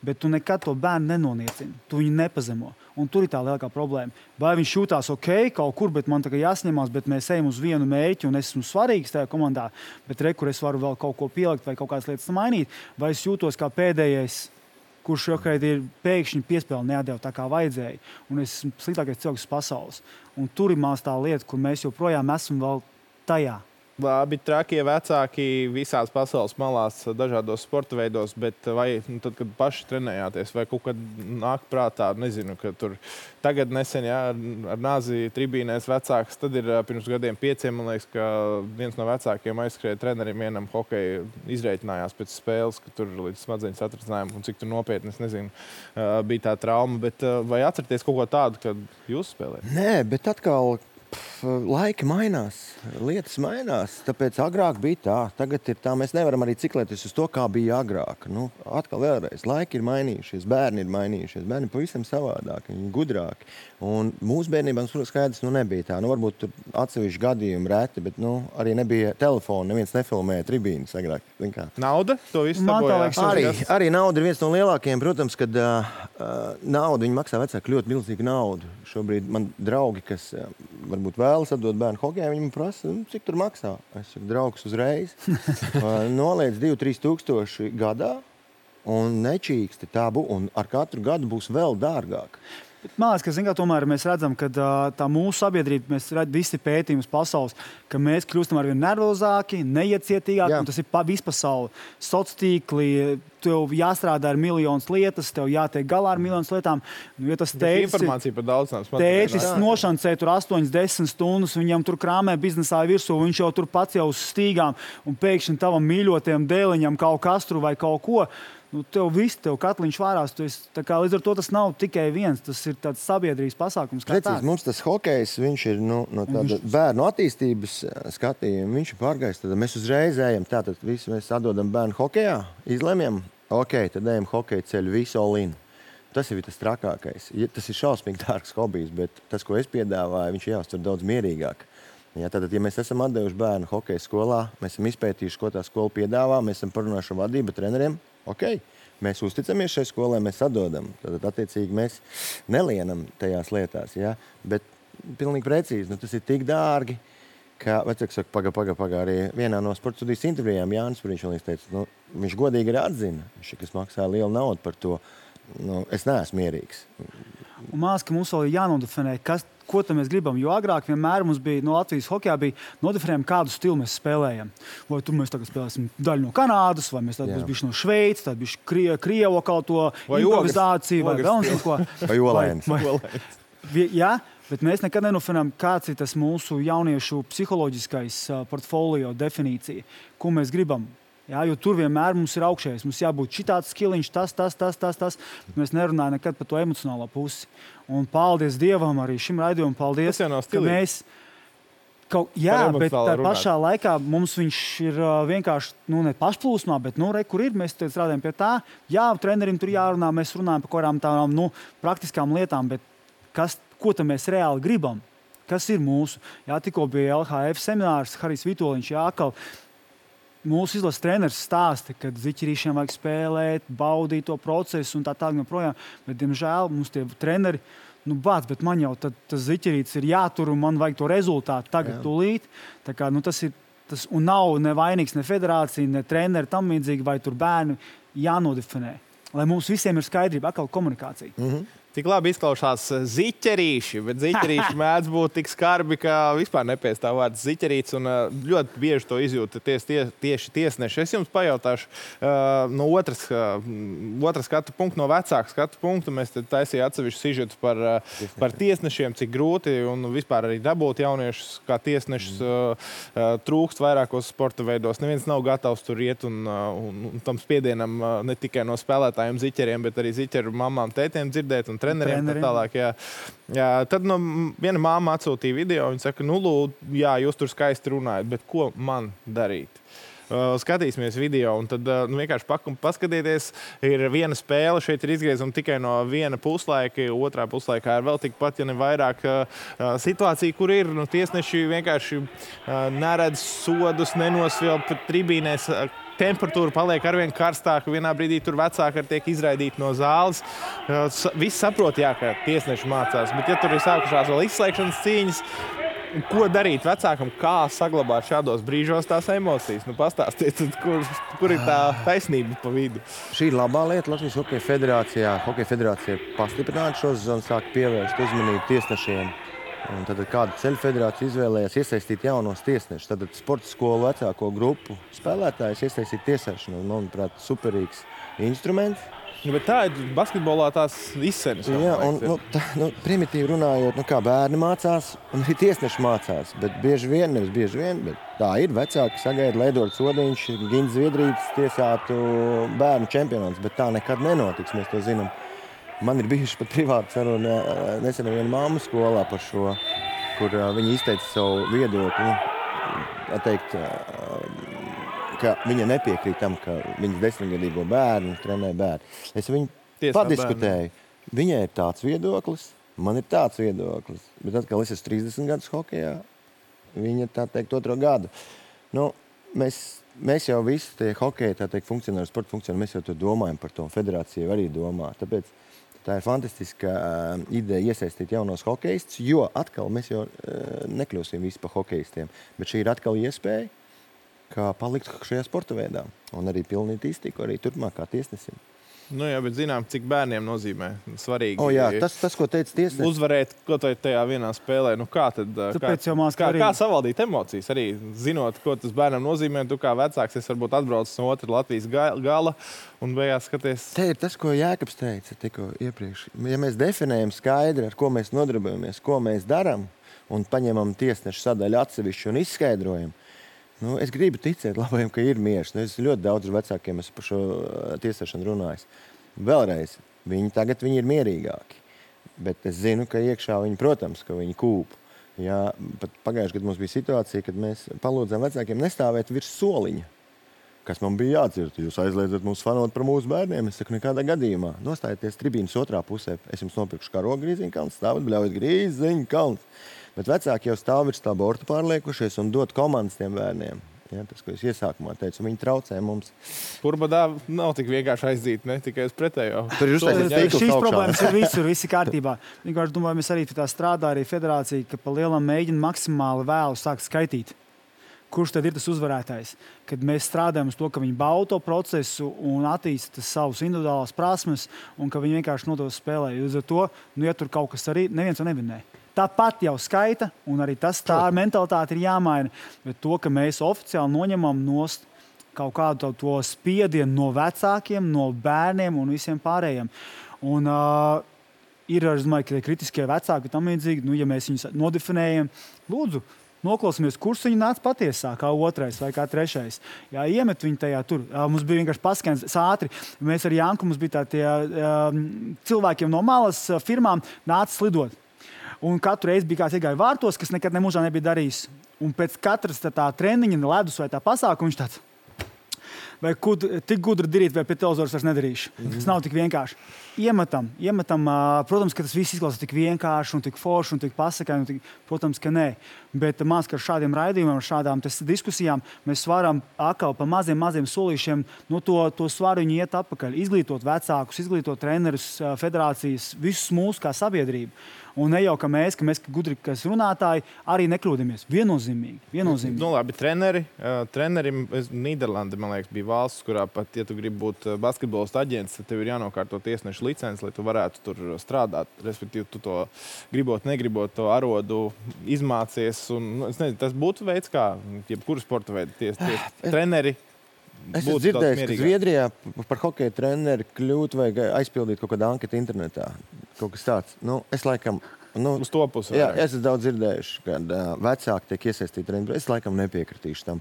bet tu nekad to bērnu nenoniecini. Tu viņu nepazemo. Un tur ir tā lielākā problēma. Vai viņš jūtās ok kaut kur, bet man tagad jāsņemās, bet mēs ejam uz vienu mērķi un esmu svarīgs tajā komandā, bet re, kur es varu vēl kaut ko pielikt vai kaut kādas lietas mainīt, vai es jūtos kā pēdējais, kurš šobrīd ir pēkšņi piespēle neatdeva tā kā vajadzēja. Un es esmu sliktākais cilvēks pasaules. Un tur ir mās tā lieta, kur mēs joprojām esam vēl tajā. Labi, trakie vecāki visās pasaules malās, dažādos sporta veidos, bet vai nu, tad, kad paši trenējāties, vai kaut kad nāk prātā, nezinu, ka tur tagad nesen, jā, ar nāzi tribīnēs vecāks, tad ir pirms gadiem pieciem, man liekas, ka viens no vecākiem aizskrēja trenerim vienam hokeju izreitinājās pēc spēles, ka tur līdz smadzeņu satricinājumam un cik tur nopietni, es nezinu, bija tā trauma, bet vai atcerieties kaut ko tādu, kad jūs spēlējat? Nē, bet atkal... laiki mainās, lietas mainās, tāpēc agrāk bija tā, tagad ir tā, mēs nevaram arī ciklēties uz to, kā bija agrāk. Nu, atkal vēlreiz, laiki ir mainījušies, bērni ir mainījušies, bērni ir pavisam savādāki, viņi ir gudrāki. Un mūsu bērnībā, protams, skaidrs, nu nebija tā. Nu, varbūt tur atsevišķi gadījumi reti, bet nu, arī nebija telefona, neviens nefilmēja tribīnas agrāk. Nauda? To visu sabojās. Arī, arī nauda ir viens no lielākajiem, protams, kad uh, nauda, viņi maksā vecāki ļoti milzīgu naudu. Šobrīd man draugi, kas uh, varbūt vēlas atdot bērnu hokejā, viņi man prasa, nu, cik tur maksā. Es saku, draugs uzreiz. uh, noliec divi trīs tūkstoši gadā un nečīksti tā būs, un ar katru gadu būs vēl dārgāk. Bet, man liekas, ka zin, kā, tomēr mēs redzam, ka tā mūsu sabiedrība, mēs redzam visi pētījumus pasaules, ka mēs kļūstam arvien nervozāki, neiecietīgāki, un tas ir pa, vispasauli. Sociātīkli, tev jāstrādā ar miljonus lietas, tev jātiek galā ar miljonus lietām. Nu, ja tas tētis, informācija par daudz nav. Tētis nošancē tur astoņas desmit stundas, viņam tur krāmē biznesā virsū, viņš jau tur pats jau uz stīgām, un pēkšņi tavam mīļotajam dēliņam kaut kas tur vai kaut ko. Nu, tev viss, tev katliņš vārās. Esi, kā, līdz ar to tas nav tikai viens, tas ir tāds sabiedrības pasākums. Precīzi, mums tas hokejs, viņš ir nu, no tāda viņš... bērnu attīstības skatījuma, viņš ir pārgājis. Tad mēs uzreiz ejam, tātad visi mēs atdodam bērnu hokejā, izlemjam, ok, tad ejam hokeja ceļu visu all-in. Tas ir tas trakākais. Tas ir šausmīgi dārgs hobijs, bet tas, ko es piedāvāju, viņš jāuztver daudz mierīgāk. Ja, tātad, ja mēs esam atdevuši bērnu hokeja skolā, mēs esam izpētījuši, ko tā skola piedāvā, mēs esam parunājuši ar vadību treneriem, ok, mēs uzticamies šai skolai, mēs atdodam. Tad, attiecīgi, mēs nelienam tajās lietās. Ja? Bet pilnīgi precīzi, nu, tas ir tik dārgi, ka, vecāks saka, paga, paga, paga, arī vienā no sporta studijas intervijām Jānis Puriņš teica, nu, viņš godīgi arī atzina, viņš, kas maksā lielu naudu par to. Nu, es neesmu mierīgs. Un māc, ka mums vēl ir jānodefinē, kas, ko mēs gribam. Jo agrāk vienmēr mums bija no Latvijas hokejā bija nodefinējumi, kādu stilu mēs spēlējam. Vai tur mēs tagad spēlēsim daļu no Kanādas, vai mēs tad būs bišķi no Šveices, tad bišķi krie, Krievo kaut to vai improvizāciju, vai vēl un ko. Vai olēns. Jā, bet mēs nekad nenofinām, kāds ir tas mūsu jauniešu psiholoģiskais portfolio definīcija, ko mēs gribam. Jā, jo tur vienmēr mums ir augšējais. Mums jābūt šitāds skiliņš, tas, tas, tas, tas, tas. Mēs nerunājam nekad par to emocionālo pusi. Un paldies Dievam arī šim raidījumam. Paldies, ka mēs... Kaut, jā, bet tā pašā laikā mums viņš ir uh, vienkārši, nu, ne pašplūsmā, bet, nu, re, kur ir, mēs strādājam pie tā. Jā, trenerim tur jārunā, mēs runājam par kādām tādām, nu, praktiskām lietām, bet kas, ko tam mēs reāli gribam? Kas ir mūsu? Jā, tikko bija L H F seminārs, Harijs Vitoļiņš, jākal. Mūsu izlases treneris stāsta, ka ziķerīšiem vajag spēlēt, baudīt to procesu un tā tālāk joprojām. Bet, diemžēl, mums tie treneri, nu, bāc, bet man jau tad, tas ziķerītis ir jātur un man vajag to rezultātu tagad Jā. Tūlīt. Tā kā, nu, tas ir, tas, un nav nevainīgs ne federācija, ne treneri tam līdzīgi, vai tur bērni jānodefinē. Lai mums visiem ir skaidrība, atkal komunikācija. Mhm. Tik labi izklausās ziķerīši, bet ziķerīši mēdz būt tik skarbi, ka vispār nepiestāv vārds ziķerīts, un ļoti bieži to izjūta ties, tie, tieši tiesneši. Es jums pajautāšu uh, no otras, uh, otras skatu punktu, no vecāka skatu punktu. Mēs taisījām atsevišķu sižetu par, uh, par tiesnešiem, cik grūti un vispār arī dabūt jauniešus, kā tiesnešus uh, uh, trūkst vairākos sporta veidos. Neviens nav gatavs tur iet un, uh, un, un tam spiedienam uh, ne tikai no spēlētājiem ziķeriem, bet arī ziķeru mamām, tētiem dzirdēt un treneriem, treneriem. Tālāk, jā. Jā, tad no, viena māma atsūtīja video, viņa saka, nu, lūd, jā, jūs tur skaisti runājat, bet ko man darīt? Uh, skatīsimies video, un tad uh, nu, vienkārši pakum, paskatieties, ir viena spēle, šeit ir izgriezuma tikai no viena puslaika, otrā puslaikā ir vēl tikpat, ja ne vairāk uh, situācija, kur ir, nu, tiesneši vienkārši uh, neredz sodus, nenosvilp tribīnēs, uh, temperatūra paliek arvien karstāka, vienā brīdī tur vecāki tiek izraidīti no zāles. Viss saprot, jā, ka tiesneši mācās, bet ja tur ir sākušās vēl izslēgšanas cīņas, ko darīt vecākam, kā saglabāt šādos brīžos tās emocijas? Nu, pastāstiet, kur, kur ir tā taisnība pa vidu? Šī ir labā lieta Latvijas Hokeja federācijā. Hokeja federācija pastiprināta šo zonu, sāk pievērst uzmanību tiesnešiem. Un tad kāda ceļu federācija izvēlējās iesaistīt jaunos tiesnešus. Tad sporta skolu vecāko grupu spēlētājus iesaistīt tiesāšanu. Manuprāt, superīgs instruments. Nu, bet tā ir basketbolā tās izsenes. Jā, un nu, tā, nu, primitīvi runājot, nu, kā bērni mācās, un arī tiesneši mācās. Bet bieži vien, nevis bieži vien, bet tā ir. Vecāki sagaida, lai Edvards Odiņš, Gins Zviedrītis tiesātu bērnu čempionāts, bet tā nekad nenotiks, mēs to zinām. Man ir bijuši pat privāti saruna nesen viena mamma skolā par šo. kur uh, viņi izteica savu viedokli. Nu, teikt, uh, ka viņa nepiekrīt tam, ka viņas desmitgadīgo bērnu trenē bērnu. Es viņu Tiesā padiskutēju. Bērni. Viņai ir tāds viedoklis, man ir tāds viedoklis. Bet atkal es esmu trīsdesmit gadus hokejā, viņa tā teikt otro gadu. Nu, mēs, mēs jau visi tie hokeji, tā teikt, funkcionāri, sporta funkcionāri, mēs jau to domājam par to, federācija arī domā. Tāpēc tā ir fantastiska uh, ideja iesaistīt jaunos hokejistus, jo atkal mēs jau uh, nekļūsim visi par hokejistiem. Bet šī ir atkal iespēja, kā palikt šajā sporta veidā. Un arī pilnīgi iztiku arī turpmāk kā tiesnesim. Nu jā, bet zinām, cik bērniem nozīmē svarīgi. O jā, tas, tas ko teica tiesnesis. Uzvarēt kaut vai tajā vienā spēlē. Nu kā tad, Tāpēc kā, kā, kā savaldīt emocijas? Arī zinot, ko tas bērnam nozīmē, tu kā vecāks, es varbūt atbraucu no otra Latvijas gala un beigās skaties. Te ir tas, ko Jēkabs teica tikko iepriekš. Ja mēs definējam skaidri, ar ko mēs nodarbojamies, ko mēs daram, un paņemam tiesnešu sadaļu atsevišķu un izskaidrojam, nu, es gribu ticēt labajam, ka ir miers. Nu, es ļoti daudz vecākiem esmu par šo tiesāšanu runājis. Vēlreiz, viņi tagad viņi ir mierīgāki. Bet es zinu, ka iekšā viņi, protams, ka viņi kūp. Jā, pat pagājušajā gadā mums bija situācija, kad mēs palūdzām vecākiem nestāvēt virs soliņa. Kas man bija jādzird? Jūs aizliedzat mūs fanot par mūsu bērniem? Es saku, nekādā gadījumā. Nostājieties tribīnas otrā pusē. Es jums nopirkšu karogu Grīziņkalns, stāvat bļaujat Grīziņkalns. Bet vecāki jau stāv virs tā borta pārliekušies un dot komandas tiem bērniem. Ja, tas, ko es iesākumā teicu, viņi traucē mums. Purbadā nav tik vienkārši aizdīt, ne tikai uz pretējo. Tur ir uztaisīts tīkls Šīs augšā. problēmas ir visur, visi kārtībā. Vienkārši domāju, mēs arī tā strādā arī federācija, ka pa lielam mēģina maksimāli vēlu sākt skaitīt. Kurš tad ir tas uzvarētājs? Kad mēs strādājam uz to, ka viņi bauda to procesu un attīsta savus individuālās prasmes un ka viņi vienkārši no to spēlē. Uz to, nu, ja tur kaut kas arī neviens to nevinē. Tāpat jau skaita, un arī tas tā mentalitāte ir jāmaina. Bet to, ka mēs oficiāli noņemam nost kaut kādu to spiedienu no vecākiem, no bērniem un visiem pārējiem. Un uh, ir, es domāju, ka kritiskie vecāki tam līdzīgi, nu, ja mēs viņus nodefinējam, lūdzu, noklausāmies, kurš viņi nāca patiesā, kā otrais vai kā trešais. Jā, iemet viņu tajā tur. Mums bija vienkārši paskaņas ātri. Mēs ar Janku, mums bija tā tie um, cilvēkiem no malas firmām nāca slidot. Un katru reizi bija kāds iegāja vārtos, kas nekad nemūžā nebija darījis. Un pēc katras tā, tā treniņa, ledus vai tā pasākuma viņš tāds, vai kud, tik gudri darīt, vai pie televizors vairs nedarīšu. Mm-hmm. Tas nav tik vienkārši. Iemetam, iemetam, protams, ka tas viss izklausās tik vienkārši un tik forši un tik pasakaini, un tik, protams, ka nē. Bet mās, ka ar šādiem raidījumiem, ar šādām diskusijām mēs varam atkal pa maziem, maziem solīšiem no to, to svaru viņu iet atpakaļ. Izglītot vecākus, izglītot trenerus, federācijas, visus mūsu kā sabiedrību. Un ne jau, ka mēs, ka mēs gudri, kas runātāji, arī nekļūdamies. Viennozīmīgi. Viennozīmīgi. Nu, labi, treneri. Uh, trenerim, Nīderlande, man liekas, bija valsts, kurā pat, ja tu gribi būt basketbolista aģents, tad tev ir jānokārto tiesnešu licenci, lai tu varētu tur strādāt. Respektīvi, tu to gribot, negribot, to arodu izmācies. Un, nu, es nezinu, tas būtu veids, kā jebkuru sporta veidu ties, ties, treneri. Es esmu dzirdējis, ka Zviedrijā par hokeja treneri kļūt vai aizpildīt kaut kādu anketu internetā. Kaut kas tāds. Nu, es laikam... Nu, uz to pusi. Jā, es esmu daudz dzirdējuši, kad uh, vecāki tiek iesaistīti treneri. Es laikam nepiekritīšu tam.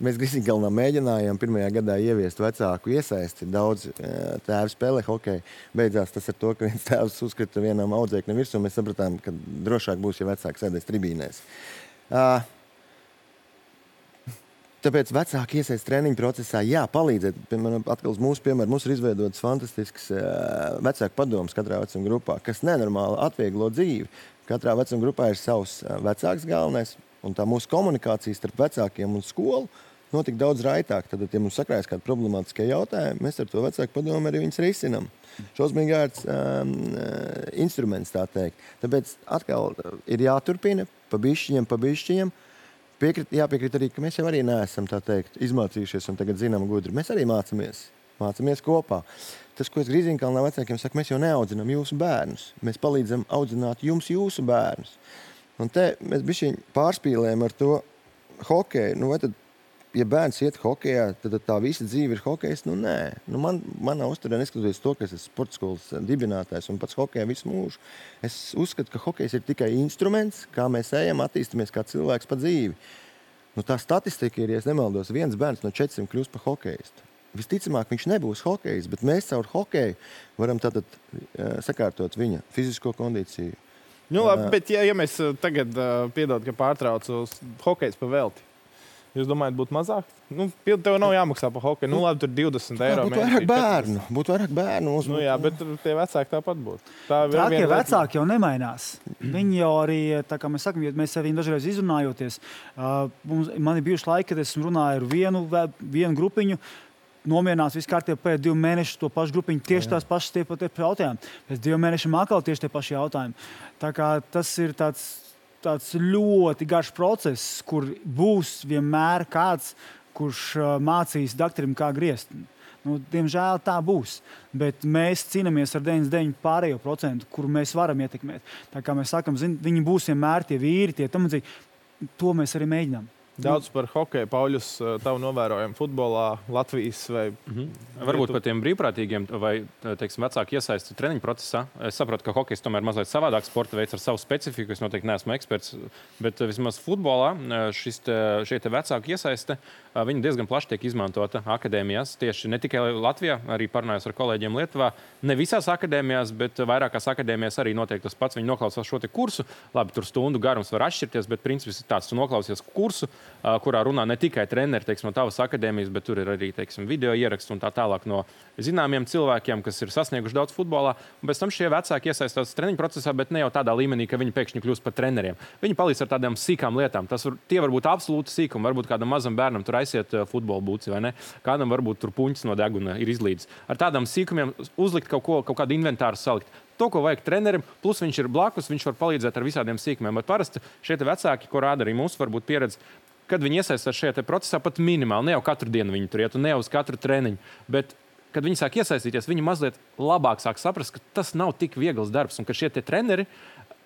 Mēs Grīziņkalnā mēģinājām pirmajā gadā ieviest vecāku iesaisti. Daudz uh, tēvi spēlē hokeju. Beidzās tas ar to, ka viens tēvs uzskrita vienam audzēknim virsū. Mēs sapratām, ka drošāk būs, ja vecāki sēdēs tribīnēs. Uh, Tāpēc vecāki iesaist treniņu procesā, jā, palīdzēt. Piemēram, atkal uz mūsu piemēru, mums ir izveidotas fantastisks uh, vecāku padoms katrā vecuma grupā, kas nenormāli atvieglo dzīvi. Katrā vecuma grupā ir savs uh, vecāks galvenais, un tā mūsu komunikācija starp vecākiem un skolu notika daudz raitāk. Tad, ja mums sakrājas kādi problemātiskie jautājumi, mēs ar to vecāku padomu arī viņus risinam. Šausmīgi ērts um, instruments, tā teikt. Tāpēc atkal ir jāturpina pa bišķiņiem, pa bišķiņiem. Piekrit, jāpiekrīt arī, ka mēs jau arī neesam, tā teikt, izmācījušies un tagad zinām gudri. Mēs arī mācamies, mācamies kopā. Tas, ko es Grīziņkalnā vecākiem saku, mēs jau neaudzinām jūsu bērnus. Mēs palīdzam audzināt jums jūsu bērnus. Un te mēs bišķiņ pārspīlējam ar to hokeju. Nu, vai tad, ja bērns iet hokejā, tad tā visa dzīve ir hokejs? Nu, nē. Nu, man, manā uzturē neskatoties to, ka es esmu sporta skolas dibinātājs un pats hokejā visu mūžu. Es uzskatu, ka hokejs ir tikai instruments, kā mēs ejam, attīstamies kā cilvēks pa dzīvi. Nu, tā statistika ir, ja es nemaldos, viens bērns no četriem kļūst par hokejistu. Visticamāk, viņš nebūs hokejists, bet mēs caur hokeju varam tātad uh, sakārtot viņa fizisko kondīciju, Nu, labi, bet ja, ja mēs tagad uh, piedod, ka pārtraucu hokejs pa velti, jūs domājat, būtu mazāk? Nu, tev nav jāmaksā par hokeju. Nu, labi, tur divdesmit eiro. Būtu vairāk bērnu. Būtu vairāk bērnu. Mums nu, jā, bet tie vecāki tāpat būtu. Tā Trākie vecāki jau nemainās. Viņi jau arī, tā kā mēs sakam, ja mēs ar viņu dažreiz izrunājoties, uh, mums, man ir bijuši laiki, kad esmu runāju ar vienu, vienu grupiņu, nomierinās viss kārtībā pēc divu mēnešu to pašu grupiņu, tieši tās pašas tie pat jautājumi. Pēc divu mēnešiem atkal tieši tie paši jautājumi. Tā kā tas ir tāds, tāds ļoti garš process, kur būs vienmēr kāds, kurš uh, mācīs doktoram, kā griezt. Nu, diemžēl tā būs, bet mēs cīnāmies ar deviņdesmit deviņu pārējo procentu, kuru mēs varam ietekmēt. Tā kā mēs sakam, zin, viņi būs vienmēr tie vīri, tie tam līdzīgi. To mēs arī mēģinām. Daudz par hokeju, Pauļus, tavu novērojumu futbolā, Latvijas vai... Mm-hmm. Varbūt par tiem brīvprātīgiem vai, teiksim, vecāki iesaisti treniņu procesā. Es saprotu, ka hokejs tomēr mazliet savādāk sporta veids ar savu specifiku. Es noteikti neesmu eksperts, bet vismaz futbolā šis te, šie te vecāki iesaiste, viņi diezgan plaši tiek izmantota akadēmijās. Tieši ne tikai Latvijā, arī parunājos ar kolēģiem Lietuvā. Ne visās akadēmijās, bet vairākās akadēmijās arī notiek tas pats. Viņi noklausās šo te kursu. Labi, tur stundu garums var atšķirties, bet princips ir tāds, tu noklausies kursu, kurā runā ne tikai treneri, teiksim, no tavas akadēmijas, bet tur ir arī, teiksim, video ieraksts un tā tālāk no zināmiem cilvēkiem, kas ir sasnieguši daudz futbolā. Un pēc tam šie vecāki iesaistās treniņu procesā, bet ne jau tādā līmenī, ka viņi pēkšņi kļūst par treneriem. Viņi palīdz ar tādām sīkām lietām. Tas var, tie var būt absolūti sīkumi. Varbūt kādam mazam bērnam tur aiziet futbola būci, vai ne? Kādam varbūt tur puņķis no deguna ir izlīdis. Ar tādām sīkumiem uzlikt kaut ko, kaut kādu inventāru salikt. To, ko vajag trenerim, plus viņš ir blakus, viņš var palīdzēt ar visādiem sīkumiem. Bet parasti šie vecāki, ko rāda arī mūsu varbūt pieredze, kad viņi iesaistās šajā procesā pat minimāli, ne jau katru dienu viņi tur iet un ne uz katru treniņu, bet kad viņi sāk iesaistīties, viņi mazliet labāk sāk saprast, ka tas nav tik viegls darbs un ka šie tie treneri,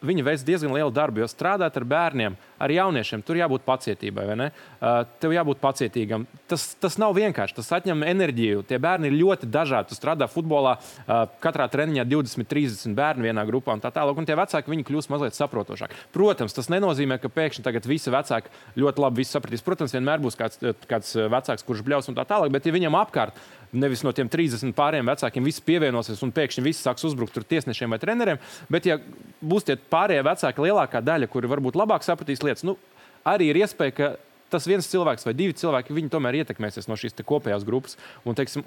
viņi veic diezgan lielu darbu, jo strādāt ar bērniem, ar jauniešiem, tur jābūt pacietībai, vai ne? Uh, tev jābūt pacietīgam. Tas, tas nav vienkārši, tas atņem enerģiju. Tie bērni ir ļoti dažādi. Tu strādā futbolā, uh, katrā treniņā divdesmit trīsdesmit bērni vienā grupā un tā tālāk, un tie vecāki, viņi kļūst mazliet saprotošāki. Protams, tas nenozīmē, ka pēkšņi tagad visi vecāki ļoti labi visu sapratīs. Protams, vienmēr būs kāds, kāds vecāks, kurš bļaus un tā tālāk, bet ja viņam apkārt nevis no tiem trīsdesmit pāriem vecākiem visi pievienosies un pēkšņi visi sāks uzbrukt tur tiesnešiem vai treneriem, bet ja būs tie pārējie vecāki lielākā daļa, kuri varbūt labāk sapratīs lietas, nu, arī ir iespēja, ka tas viens cilvēks vai divi cilvēki, viņi tomēr ietekmēsies no šīs te kopējās grupas un, teiksim,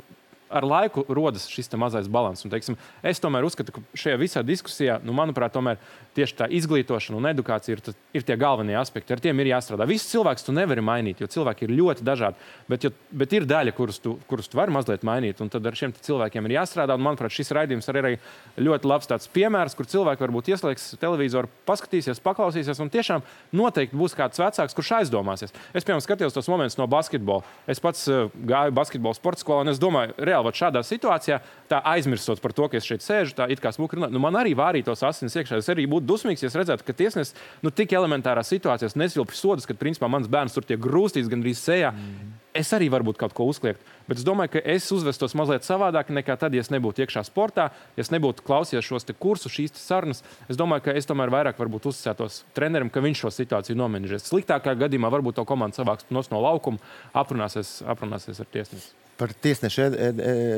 ar laiku rodas šis te mazais balans. Un, teiksim, es tomēr uzskatu, ka šajā visā diskusijā, nu, manuprāt, tomēr tieši tā izglītošana un edukācija ir, tas, ir tie galvenie aspekti. Ar tiem ir jāstrādā. Visus cilvēkus tu nevari mainīt, jo cilvēki ir ļoti dažādi. Bet, jo, bet ir daļa, kurus tu, kurus tu vari mazliet mainīt. Un tad ar šiem cilvēkiem ir jāstrādā. Un, manuprāt, šis raidījums arī ir ļoti labs tāds piemērs, kur cilvēki varbūt ieslēgs televizoru, paskatīsies, paklausīsies. Un tiešām noteikti būs kāds vecāks, kurš aizdomāsies. Es, piemēram, skatījos tos momentus no basketbola. Es pats uh, gāju basketbola sporta skolā un es domāju, reāli, šādā situācijā, tā aizmirstot par to, ka es šeit sēžu, tā it kā smuki runāju, nu man arī vārītos asinis iekšā. Es arī būtu dusmīgs, ja es redzētu, ka tiesnesis, nu tik elementārās situācijās nesvilpi sodus, kad principā mans bērns tur tiek grūstīts gandrīz sejā. Mm. Es arī varbūt kaut ko uzkliegt, bet es domāju, ka es uzvestos mazliet savādāk nekā tad, ja es nebūtu iekšā sportā, ja es nebūtu klausījies šos te kursus, šīs te sarunas. Es domāju, ka es tomēr vairāk varbūt uzticētos trenerim, ka viņš šo situāciju nomenedžēs. Sliktākā gadījumā varbūt to komandu savāks no laukuma, aprunāsies, aprunāsies ar tiesnesi. Par, tiesneši,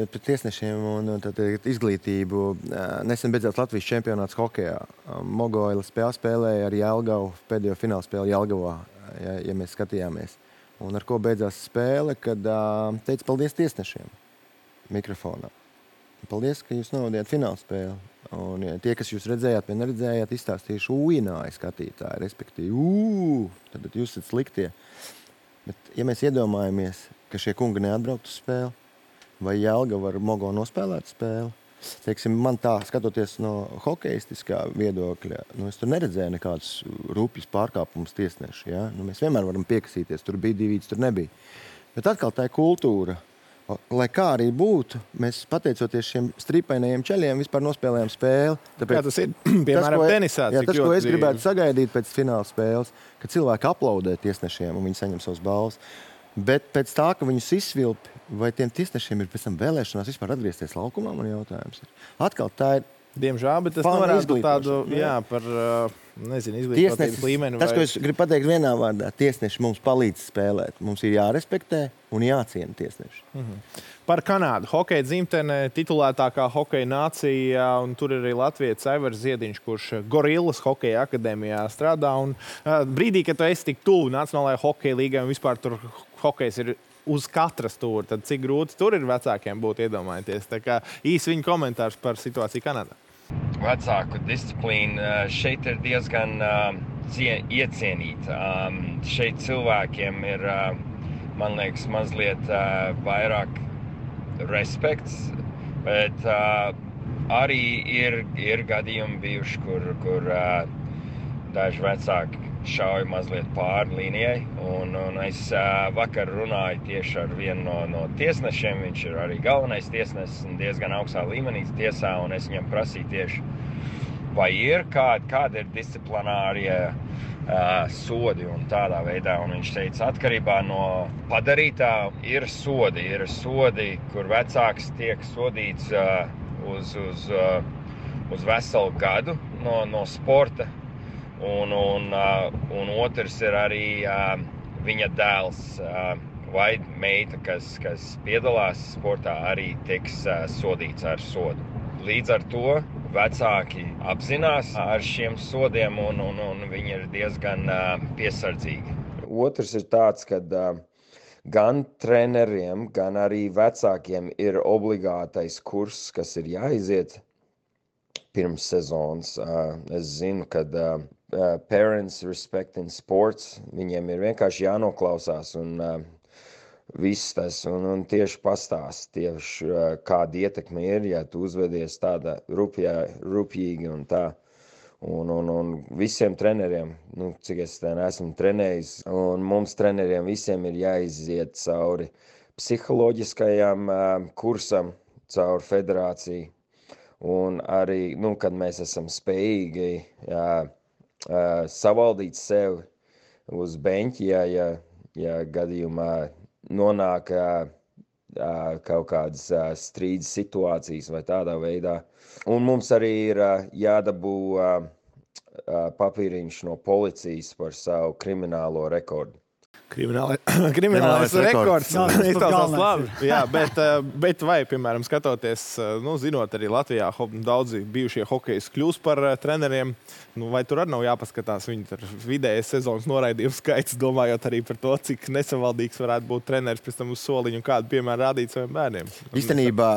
par tiesnešiem un tad, izglītību. Nesen beidzās Latvijas čempionāts hokejā. Mogoila spēlēja ar Jelgavu pēdējo fināla spēli Jelgavā, ja, ja mēs skatījāmies. Un ar ko beidzās spēle, kad teica paldies tiesnešiem mikrofonā. Paldies, ka jūs novadījāt fināla spēli. Un ja, tie, kas jūs redzējāt vai neredzējāt, izstāstījuši ūināja skatītāji, respektīvi, ū, tad jūs esat sliktie. Bet, ja mēs iedomājamies, ka šie kungi neatbraukt uz spēli, vai Jelgava ar Mogo nospēlēt spēli, teiksim, man tā, skatoties no hokeistiskā viedokļa, nu, es tur neredzēju nekādus rūpjas pārkāpumus tiesneši. Ja? Nu, mēs vienmēr varam piekasīties, tur bija divīts, tur nebija. Bet atkal tā ir kultūra. Lai kā arī būtu, mēs pateicoties šiem stripainajiem ceļiem vispār nospēlējām spēli. Tāpēc, jā, tas ir, piemēram, tas, tenisā. Jā, tas, ko es gribētu sagaidīt pēc fināla spēles, ka cilvēki aplaudē tiesnešiem un viņi saņem savus balvas. Bet pēc tā, ka viņus izsvilpi, vai tiem tiesnešiem ir pēc tam vēlēšanās vispār atgriezties laukumā, man jautājums ir. Atkal tā ir Diemžēl, bet tas nevarētu būt tādu, jā, par, nezinu, izglītotības līmeni. Tas, vai... ko es gribu pateikt vienā vārdā, tiesneši mums palīdz spēlēt. Mums ir jārespektē un jāciena tiesneši. Mhm. Par Kanādu. Hokeja dzimtene, titulētākā hokeja nācija, un tur ir arī latvietis Aivars Ziediņš, kurš Gorillas hokeja akadēmijā strādā. Un, uh, brīdī, kad tu esi tik tuvu Nacionālajai hokeja līgai un vispār tur hokejs ir uz katras stūra, tad cik grūti tur ir vecākiem būt iedomājieties. Tā kā īsi viņa komentārs par situāciju Kanādā. Vecāku disciplīna šeit ir diezgan uh, iecienīta. Um, šeit cilvēkiem ir, uh, man liekas, mazliet uh, vairāk respekts, bet uh, arī ir, ir gadījumi bijuši, kur, kur uh, daži vecāki šauja mazliet pāri līnijai. Un, un es uh, vakar runāju tieši ar vienu no, no tiesnešiem. Viņš ir arī galvenais tiesnesis un diezgan augstā līmenī tiesā. Un es viņam prasīju tieši, vai ir kāda, kāda ir disciplinārie uh, sodi un tādā veidā. Un viņš teica, atkarībā no padarītā ir sodi. Ir sodi, kur vecāks tiek sodīts uh, uz, uz, uh, uz veselu gadu no, no sporta. Un, un, uh, un otrs ir arī uh, viņa dēls uh, vai meita, kas, kas piedalās sportā, arī tiks uh, sodīts ar sodu. Līdz ar to vecāki apzinās ar šiem sodiem un, un, un viņi ir diezgan uh, piesardzīgi. Otrs ir tāds, ka uh, gan treneriem, gan arī vecākiem ir obligātais kurs, kas ir jāiziet pirms sezonas. Uh, es zinu, ka uh, Uh, parents respecting sports, viņiem ir vienkārši jānoklausās un uh, viss tas, un, un tieši pastāst tieši uh, kāda ietekme ir, ja tu uzvedies tāda rupjā, rupjīgi un tā. Un, un, un visiem treneriem, nu, cik es tā neesmu trenējis, un mums treneriem visiem ir jāiziet cauri psiholoģiskajam uh, kursam, cauri federāciju, un arī, nu, kad mēs esam spējīgi, jā, Uh, savaldīt sevi uz beņķi, ja, ja, ja gadījumā nonāk uh, uh, kaut kādas uh, strīdas situācijas vai tādā veidā. Un mums arī ir uh, jādabū uh, uh, papīriņš no policijas par savu kriminālo rekordu. Kriminālais, kriminālais rekords. Izklausās labi. Jā, bet, bet vai, piemēram, skatoties, nu, zinot arī Latvijā daudzi bijušie hokejisti kļūst par treneriem, nu, vai tur arī nav jāpaskatās viņu vidējais sezonas noraidījums skaits, domājot arī par to, cik nesavaldīgs varētu būt treneris pēc tam uz soliņu un kādu piemēru rādīt saviem bērniem? Īstenībā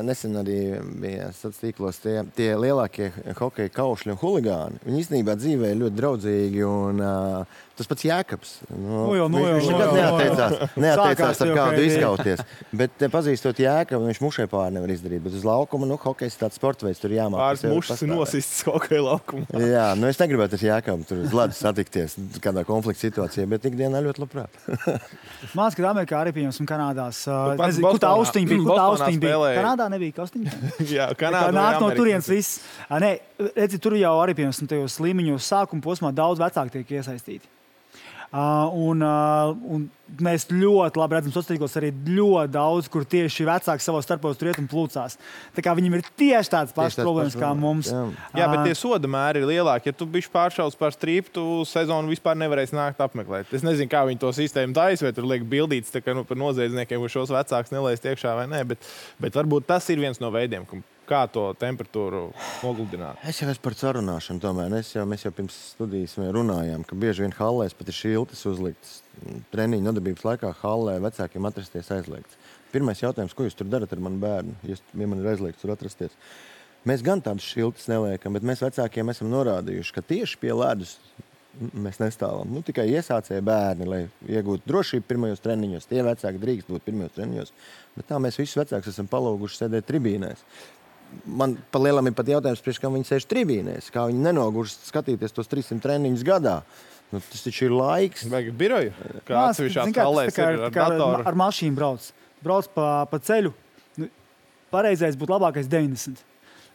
nesen arī bija sociālos tīklos tie, tie lielākie hokeja kaušļi un huligāni. Viņi īstenībā dzīvē ļoti draudzīgi un uh, tas pats Jēkabs. Nu, nu jau, nu jau, viņš nekad neatteicās, neatteicās ar kādu izkauties. Bet pazīstot Jēkabu, viņš mušai pāri nevar izdarīt. Bet uz laukuma, nu, hokejs tāds sporta veids, tur jāmāk. Pāris mušas nosists hokeja laukumā. Jā, nu es negribētu ar Jēkabu tur uz ledus satikties kādā konflikta situācijā, bet ikdienā ļoti labprāt. Māc, kad Amerikā arī pieņems un Kanādās. Nezinu, kur tā austiņa bija? Kur tā austiņa bija? Kanādā nebija austiņa? Jā, Kanādā nāk no turienes viss. Nē, redzi, tur jau arī pieņems tajos līmeņos sākuma posmā daudz vecāki tiek iesaistīti. Uh, un, uh, un mēs ļoti labi redzam, sociālos arī ļoti daudz, kur tieši vecāki savos starpos tur iet un plūcās. Tā kā viņiem ir tieši tādas pašas problēmas kā mums. Jā. jā, bet tie soda mēri ir lielāki. Ja tu bišķi pāršauc par strīpu, tu sezonu vispār nevarēsi nākt apmeklēt. Es nezinu, kā viņi to sistēmu taisa, vai tur liek bildītas tā kā, nu, par noziedzniekiem, vai šos vecākus nelaist iekšā vai nē, bet, bet varbūt tas ir viens no veidiem, kā to temperatūru nogludināt. Es jau esmu par sarunāšanu tomēr. Es jau, mēs jau pirms studijas runājām, ka bieži vien hallēs pat ir šiltas uzliktas. Treniņu nodarbības laikā hallē vecākiem atrasties aizliegts. Pirmais jautājums, ko jūs tur darat ar manu bērnu, ja man ir aizliegts tur atrasties? Mēs gan tādas šiltas neliekam, bet mēs vecākiem esam norādījuši, ka tieši pie ledus mēs nestāvam. Nu, tikai iesācēja bērni, lai iegūtu drošību pirmajos treniņos. Tie vecāki drīkst būt pirmajos treniņos. Bet tā mēs visus vecākus esam palūguši sēdēt tribīnēs. Man pa lielam ir pat jautājums, priekš, kā viņi sēž tribīnēs, kā viņi nenogurst skatīties tos trīssimt treniņus gadā. Nu, tas taču ir laiks. Vajag biroju, kā atsevišķās hallēs ir ar datoru. Ar mašīnu brauc. Brauc pa, pa ceļu. Nu, pareizais būtu labākais deviņdesmit.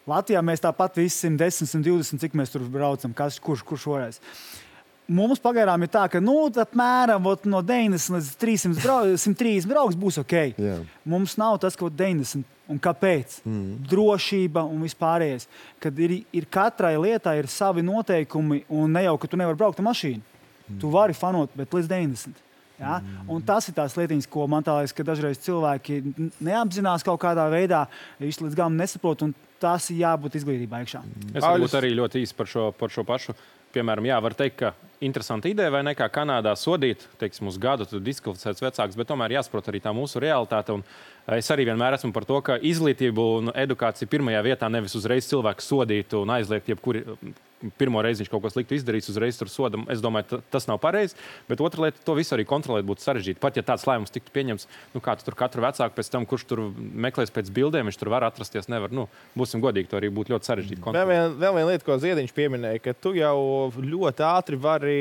Latvijā mēs tāpat visi simt desmit, simt divdesmit, cik mēs tur braucam, kas, kurš, kurš varēs. mums pagaidām ir tā, ka nu, apmēram no deviņdesmit līdz trīssimt trīsdesmit brauks būs ok. Jā. Mums nav tas, ko deviņdesmit. Un kāpēc? Mm. Drošība un vispārējais. Kad ir, ir katrai lietai ir savi noteikumi un ne jau, ka tu nevari braukt ar mašīnu. Mm. Tu vari fanot, bet līdz deviņdesmit. Ja? Mm. Un tas ir tās lietiņas, ko man tā liekas, ka dažreiz cilvēki neapzinās kaut kādā veidā, viņš līdz galam nesaprot, un tas ir jābūt izglītībā iekšā. Es varbūt arī ļoti īsi par šo, par šo pašu. Piemēram, jā, var teikt, ka interesanta ideja vai ne, kā Kanādā sodīt, teiksim, uz gadu tu diskvalificēts vecāks, bet tomēr jāsaprot arī tā mūsu realitāte. Un es arī vienmēr esmu par to, ka izglītību un edukāciju pirmajā vietā nevis uzreiz cilvēku sodītu un aizliegt jebkuri pirmo reizi viņš kaut ko sliktu izdarīs, uzreiz tur sodam. Es domāju, tas nav pareizi, bet otra lieta, to visu arī kontrolēt būtu sarežģīti. Pat ja tāds lēmums tiktu pieņemts, nu kā tu tur katru vecāku pēc tam, kurš tur meklēs pēc bildēm, viņš tur var atrasties, nevar. Nu, būsim godīgi, to arī būtu ļoti sarežģīti kontrolēt. Vēl viena vien lieta, ko Ziediņš pieminēja, ka tu jau ļoti ātri vari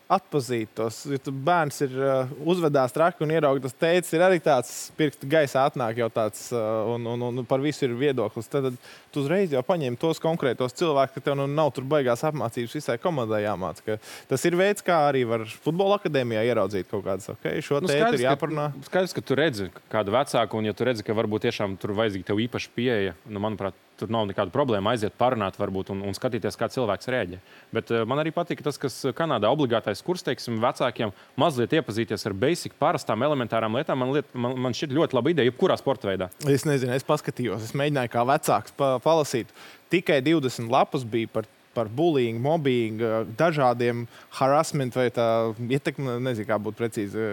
atpazīt tos. Ja tu bērns ir uh, uzvedās traki un ierauga tas teicis, ir arī tāds pirksta gaisā atnāk jau tāds uh, un, un, un par visu ir viedoklis. Tad, tad tu uzreiz jau paņem tos konkrētos cilvēkus, ka tev nu nav tur baigās apmācības visai komandai jāmāc. Ka tas ir veids, kā arī var futbola akadēmijā ieraudzīt kaut kādas, ok, šo nu, tēti ir jāparunā. Ka, skaidrs, ka tu redzi kādu vecāku, un ja tu redzi, ka varbūt tiešām tur vajadzīgi tev īpaši pieeja, nu, manuprāt, tur nav nekāda problēma aiziet parunāt varbūt un, un skatīties, kā cilvēks rēģē. Bet uh, man arī patīk tas, kas Kanādā obligātais kurs, teiksim, vecākiem mazliet iepazīties ar basic, parastām, elementārām lietām. Man, liet, man, man šķiet ļoti laba ideja, jebkurā sporta veidā. Es nezinu, es paskatījos, es mēģināju kā vecāks pa, palasīt. Tikai divdesmit lapas bija par, par bullying, mobbing, dažādiem harassment vai tā ietekme, nezinu, kā būtu precīzi.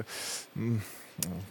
Mm.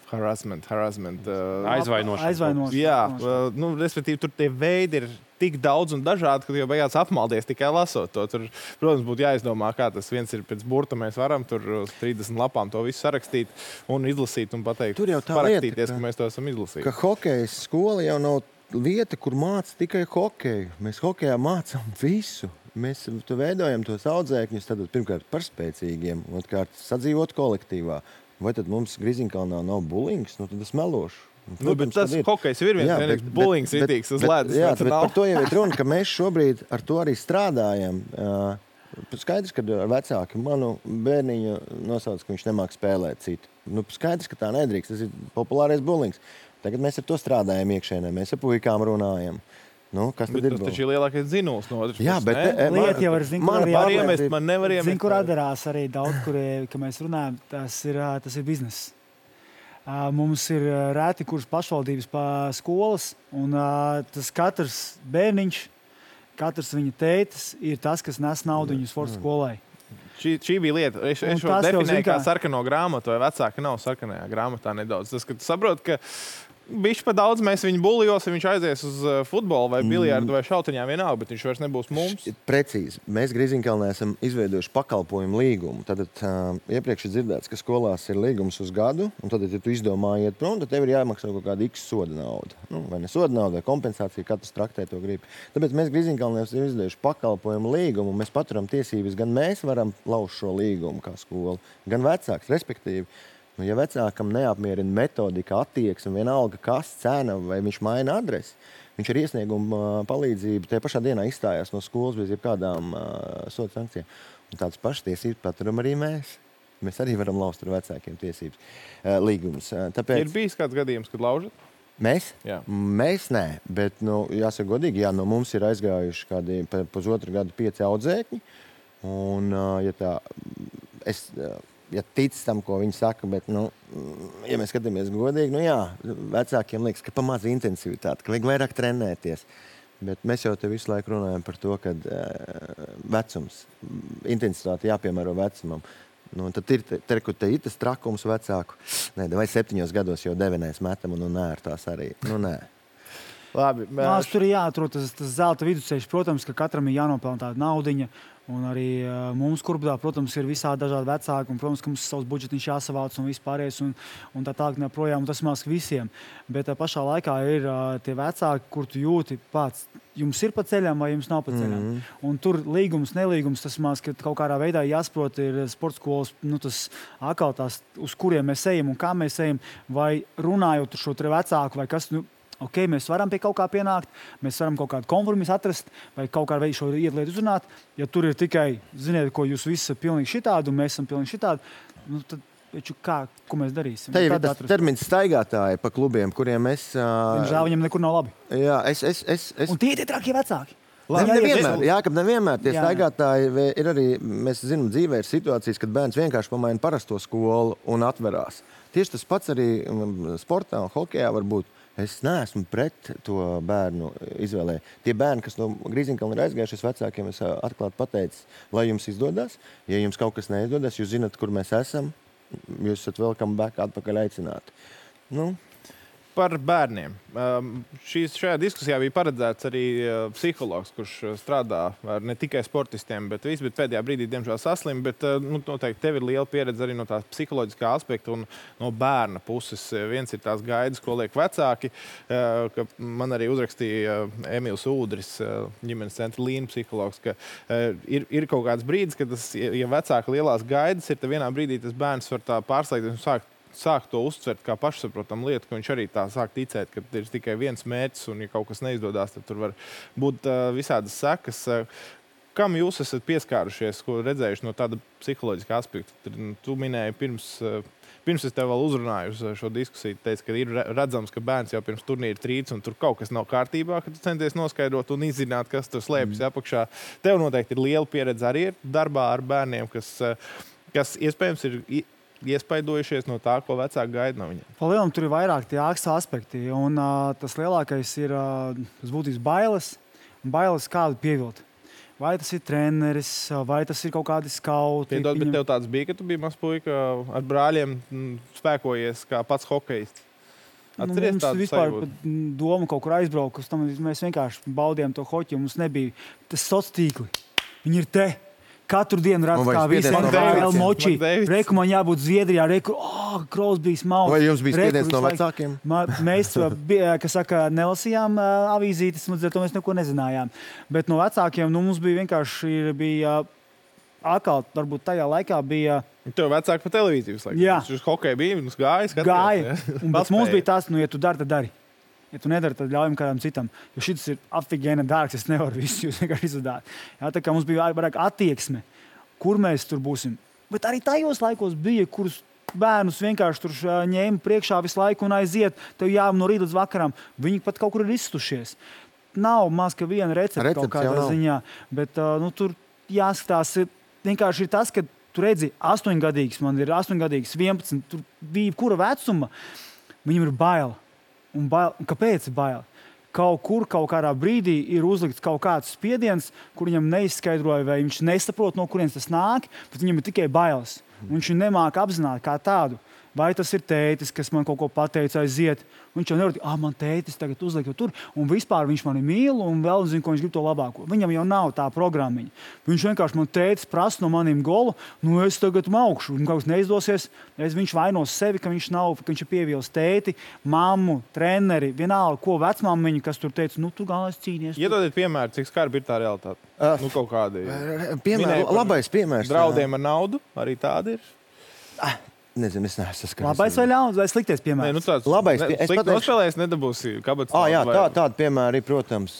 Harassment, harassment. Uh, Aizvainošana. Aizvainošana. Jā, uh, nu, respektīvi, tur tie veidi ir tik daudz un dažādi, ka jau beigās apmaldies tikai lasot to. Tur, protams, būtu jāizdomā, kā tas viens ir pēc burta. Mēs varam tur uz trīsdesmit lapām to visu sarakstīt un izlasīt un pateikt, tur jau tā parakstīties, lieta, ka, ka mēs to esam izlasījuši. Ka hokejas skola jau nav vieta, kur māca tikai hokeju. Mēs hokejā mācām visu. Mēs veidojam tos audzēkņus, tad pirmkārt par spēcīgiem, otrkārt sadzīvot kolektīvā. Vai tad mums Griziņkalnā nav bulings? Nu, tad es melošu. Protams, nu, bet tas hokejs ir viens, vienīgs bulings itīgs uz ledus. Jā, bet par to jau ir runa, ka mēs šobrīd ar to arī strādājam. Skaidrs, ka vecāki manu bērniņu nosauc, ka viņš nemāk spēlēt citu. Nu, skaidrs, ka tā nedrīkst. Tas ir populārais bulings. Tagad mēs ar to strādājam iekšēnē. Mēs ar puikām runājam. Nu, kas tad bet ir? Tas taču ir lielākais dzinuls no otras puses. Jā, bet ne? Lieta jau var zin, man var iemest, man nevar iemest. Zin, kur atdarās arī daudz, kur, ka mēs runājam, tas ir, tas ir bizness. Mums ir rēti kurs pašvaldības pa skolas, un tas katrs bērniņš, katrs viņa tētis ir tas, kas nes naudu viņu sporta skolai. Šī, šī bija lieta. Es, es šo definēju kā sarkano grāmatu, vai vecāki nav sarkanajā grāmatā nedaudz. Tas, ka tu saproti, ka bišķi pa daudz mēs viņu bulijos, ja viņš aizies uz futbolu vai biliardu vai šautiņā vienalga, bet viņš vairs nebūs mums. Precīzi. Mēs Griziņkalnē esam izveidojuši pakalpojumu līgumu. Tad uh, iepriekš ir dzirdēts, ka skolās ir līgums uz gadu, un tad, ja tu izdomā iet prom, tad tev ir jāmaksā kaut kāda X soda nauda. Nu, vai ne soda nauda, vai kompensācija, katrs traktē to grib. Tāpēc mēs Griziņkalnē esam izveidojuši pakalpojumu līgumu, un mēs paturam tiesības, gan mēs varam lauzt šo līgumu kā skola, gan vecāks, respektīvi. Nu, ja vecākam neapmierina metodika, attieksme, vienalga kas, cena vai viņš maina adresi, viņš ar iesniegumu palīdzību tajā pašā dienā izstājās no skolas bez jebkādām uh, soda sankcijām. Un tādas pašas tiesības paturam arī mēs. Mēs arī varam lauzt ar vecākiem tiesības uh, līgumus. Uh, tāpēc... Ir bijis kāds gadījums, kad laužat? Mēs? Jā. Mēs nē, bet, nu, jāsaka godīgi, jā, no mums ir aizgājuši kādi pusotru gadu pieci audzēkņi. Un, uh, ja tā, es... Uh, ja tic tam, ko viņi saka, bet, nu, ja mēs skatāmies godīgi, nu jā, vecākiem liekas, ka pa maz intensivitāte, ka vajag vairāk trenēties. Bet mēs jau te visu laiku runājam par to, ka uh, vecums, intensitāte jāpiemēro vecumam. Nu, tad ir te, te, te ir tas trakums vecāku. Nē, vai septiņos gados jau devenēs metam un, un nē, ar tās arī. Nu, nē. Labi. Mās, tur ir jāatrod tas, tas zelta vidusceļš. Protams, ka katram ir jānopelna tāda naudiņa. Un arī uh, mums kurbdā, protams, ir visādi dažādi vecāki. Un, protams, ka mums ir savs budžetiņš jāsavāc un vispārējais. Un, un tā tālāk neprojām. Un tas mās visiem. Bet uh, pašā laikā ir uh, tie vecāki, kur tu jūti pats. Jums ir pa ceļam vai jums nav pa ceļam. Mm-hmm. Un tur līgums, nelīgums, tas mās, ka kaut kādā veidā jāsaprot ir sporta skolas, nu tas atkal tās, uz kuriem mēs ejam un kā mēs ejam. Vai runājot ar šo tre vecāku vai kas, nu, Ok, mēs varam pie kaut kā pienākt, mēs varam kaut kādu kompromisu atrast vai kaut kādu veidu šo lietu uzrunāt. Ja tur ir tikai, ziniet, ko jūs visi esat pilnīgi šitādi un mēs esam pilnīgi šitādi, nu tad, kā, ko mēs darīsim? Tā ir tas termins staigātāji pa klubiem, kuriem es... Žēl, viņam nekur nav labi. Jā, es... es, es, es... Un tie ir tie trakie vecāki. Labi, nevienmēr, jā, ka nevienmēr tie staigātāji ir arī, mēs zinām, dzīvē ir situācijas, kad bērns vienkārši pamaina parasto skolu un atverās. Tieši tas pats arī sportā un hokejā var būt. Es neesmu pret to bērnu izvēlē. Tie bērni, kas no Grīziņkalna ir aizgājušies vecākiem, es atklāti pateicu, lai jums izdodas. Ja jums kaut kas neizdodas, jūs zināt, kur mēs esam, jūs esat welcome back atpakaļ aicināti. Nu, par bērniem. Šīs, šajā diskusijā bija paredzēts arī psihologs, kurš strādā ar ne tikai sportistiem, bet visu, bet pēdējā brīdī, diemžēl, saslim, bet nu, noteikti tev ir liela pieredze arī no tās psiholoģiskā aspekta un no bērna puses. Viens ir tās gaidas, ko liek vecāki, ka man arī uzrakstīja Emīls Ūdris, ģimenes centra līna psihologs, ka ir, ir kaut kāds brīdis, kad tas, ja vecāka lielās gaidas ir, tad vienā brīdī tas bērns var tā pārslēgties un sākt sāk to uztvert kā pašsaprotam lietu, ka viņš arī tā sāk ticēt, ka ir tikai viens mērķis un, ja kaut kas neizdodas, tad tur var būt uh, visādas sekas. Kam jūs esat pieskārušies, ko redzējuši no tāda psiholoģiskā aspekta? Tu minēji pirms, pirms es tev vēl uzrunāju uz šo diskusiju, teici, ka ir redzams, ka bērns jau pirms turnīra trīc un tur kaut kas nav kārtībā, ka tu centies noskaidrot un izzināt, kas tur slēpjas mm. apakšā. Tev noteikti ir liela pieredze arī darbā ar bērniem, kas, kas iespējams ir iespaidojušies no tā, ko vecāki gaida no viņiem. Palielam, tur ir vairāk tie aspekti, un uh, tas lielākais ir uh, tas būtības bailes, bailes kādu pievilt. Vai tas ir treneris, vai tas ir kaut kādi skauti. Piedod, bet tev tāds bija, ka tu biji mazs puika ar brāļiem spēkojies kā pats hokejists. Atceries nu, mums vispār doma kaut kur aizbraukt, uz tam mēs vienkārši baudījām to hoķi, un mums nebija tas sociālais tīkli. Viņi ir te. Katru dienu redz, kā visi vēl moči. Reku man jābūt Zviedrijā, reku, oh, Krosbijs, Mauts. Vai jums bija spiediens no vecākiem? Mēs, kas saka, nelasījām avīzītes, un to mēs neko nezinājām. Bet no vecākiem, nu, mums bija vienkārši, bija, atkal, varbūt tajā laikā bija... Tev vecāki pa televīziju visu laiku. Jā. Uz hokeju bija, mums gāja, skatījās. Gāja, un bet mums bija tās, nu, ja tu dari, tad dari. Ja tu nedari, tad ļaujam kādam citam. Jo šis ir afigēna dārgs, es nevaru visu jūs vienkārši izdarīt. Jā, tā kā mums bija vairāk attieksme, kur mēs tur būsim. Bet arī tajos laikos bija, kurus bērnus vienkārši tur ņēma priekšā visu laiku un aiziet. Tev jāvam no rīta līdz vakaram. Viņi pat kaut kur ir izstušies. Nav maz, ka viena recepte kaut kādā ziņā. Bet nu, tur jāskatās, vienkārši ir tas, ka tu redzi astoņgadīgs, man ir astoņgadīgs, vienpadsmit, tur bija kura vecuma, viņam ir baila. Un bail, kāpēc ir bail? Kaut kur, kaut kādā brīdī ir uzlikts kaut kāds spiediens, kur viņam neizskaidroja, vai viņš nesaprot, no kurienes tas nāk, bet viņam ir tikai bailes. Un viņš nemāk apzināt kā tādu. Vai tas ir tētis, kas man kaut ko pateica aiziet. Viņš jau nevar teikt, ah, man tētis tagad uzliek tur, un vispār viņš mani mīl, un vēl zina, ko viņš grib to labāko. Viņam jau nav tā programmiņa. Viņš vienkārši man tētis prasa no maniem golu, nu es tagad maukšu, un kaut kas neizdosies, es viņš vainos sevi, ka viņš nav, ka viņš ir pievīlis tēti, mammu, treneri, vienalga, ko vecmāmiņu, kas tur teica, nu tu galvenais cīnies. Iedodiet piemēru, cik skarbi ir tā realitāte. Uh, nu kaut kādi. Piemēr, labais piemērs. Draudiem ar naudu, arī tādi ir. Ah. Nezinu, es neesmu saskaries. Labais vai ļauns, vai sliktais piemērs? Nē, nu tāds, labais ne, piemērs. Slikti nospēlējis, nedabūsi kabatas. Ah, jā, tā, tāda piemēra ir, protams,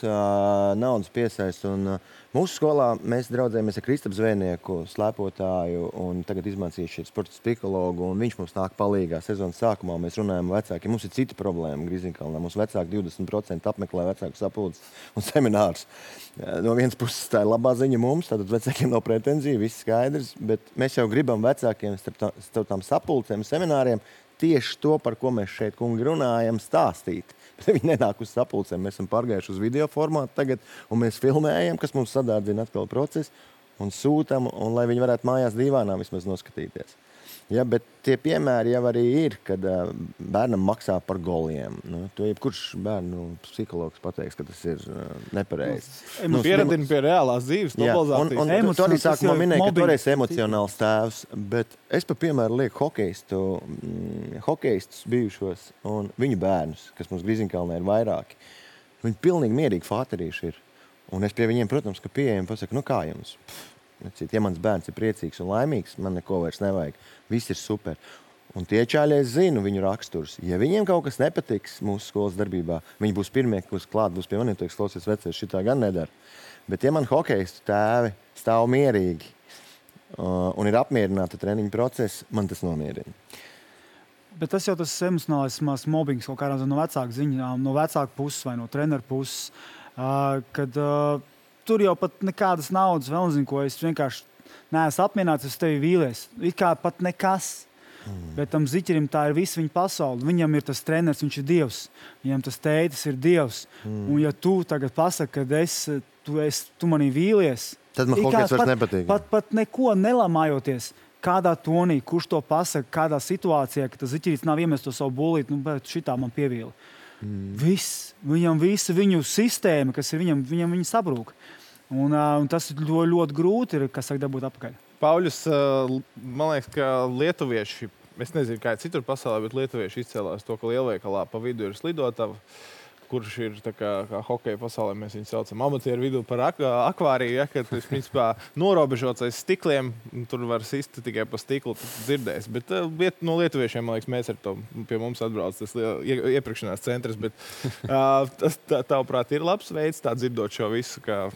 naudas piesaist. Un mūsu skolā mēs draudzējamies ar Kristapu Zvejnieku, slēpotāju, un tagad izmācījuši ir sporta psihologu, un viņš mums nāk palīgā sezonas sākumā. Mēs runājam vecākiem. Mums ir cita problēma Grīziņkalnā. Mums vecāki divdesmit procenti apmeklē vecāku sapulces un seminārus. No vienas puses tā ir labā ziņa mums, tātad vecākiem nav pretenzija, viss skaidrs, bet mēs jau gribam vecākiem starp, tā, starp tām sapulcēm, semināriem tieši to, par ko mēs šeit, kungi, runājam, stāstīt. Bet viņi nenāk uz sapulcēm, mēs esam pārgājuši uz video formātu tagad, un mēs filmējam, kas mums sadārdzina atkal procesu, un sūtam, un lai viņi varētu mājās divānā vismaz noskatīties. Ja, bet tie piemēri jau arī ir, kad uh, bērnam maksā par goliem. Nu, to jebkurš bērnu psihologs pateiks, ka tas ir uh, nepareizi. Nu, pieradina pie reālās dzīves globalizācijas. Un, un, un tu arī sākumā minēji, ka tu esi emocionāls tēvs, bet es pa piemēru lieku hokeistu, mm, hokeistus bijušos un viņu bērnus, kas mums Grīziņkalnē ir vairāki. Viņi pilnīgi mierīgi fāterīši ir. Un es pie viņiem, protams, ka pieejam pasaku, nu kā jums? Ja mans bērns ir priecīgs un laimīgs, man neko vairs nevajag. Viss ir super. Un tie čāļi, es zinu viņu raksturus. Ja viņiem kaut kas nepatiks mūsu skolas darbībā, viņi būs pirmie, kas klāt būs pie maniem, teiks, klausies vecais, šitā gan nedara. Bet ja man hokejistu tēvi stāv mierīgi uh, un ir apmierināti treniņu procesi, man tas nomierina. Bet tas jau tas emocionālais mobbings kaut kādā no vecāku ziņām, no vecāku puses vai no treneru puses, uh, kad uh, tur jau pat nekādas naudas vēl nezinu, ko es vienkārši neesmu apmierināts, es tevi vīlies. It kā pat nekas. Mm. Bet tam ziķerim tā ir visa viņa pasaule. Viņam ir tas treneris, viņš ir Dievs. Viņam tas tētis ir Dievs. Mm. Un ja tu tagad pasaki, ka es, tu, es, tu manī vīlies, tad man hokejs vairs nepatīk. Pat, pat neko nelamājoties. Kādā tonī, kurš to pasaka, kādā situācijā, ka tas ziķerīts nav iemest to savu bulīti, nu, bet šitā man pievīla. Mm. Viss, viņam visa viņu sistēma, kas ir viņam, viņam viņa sabrūk. Un, uh, un tas ļoti, ļoti grūti ir, kas saka, dabūt apakaļ. Pauļus, uh, man liekas, ka lietuvieši, es nezinu, kā citur pasaulē, bet lietuvieši izcēlās to, ka lielveikalā pa vidu ir slidotava, kurš ir tā kā, kā hokeja pasaulē, mēs viņu saucam amatieru vidū par ak akvāriju, ja, kad tas, principā, norobežots aiz stikliem, tur var sist tikai pa stiklu, dzirdēs. Bet uh, no lietuviešiem, man liekas, mēs ar to pie mums atbrauc tas ie, iepirkšanās centrs, bet uh, tas, tā, tavuprāt, ir labs veids tā dzirdot šo visu, kā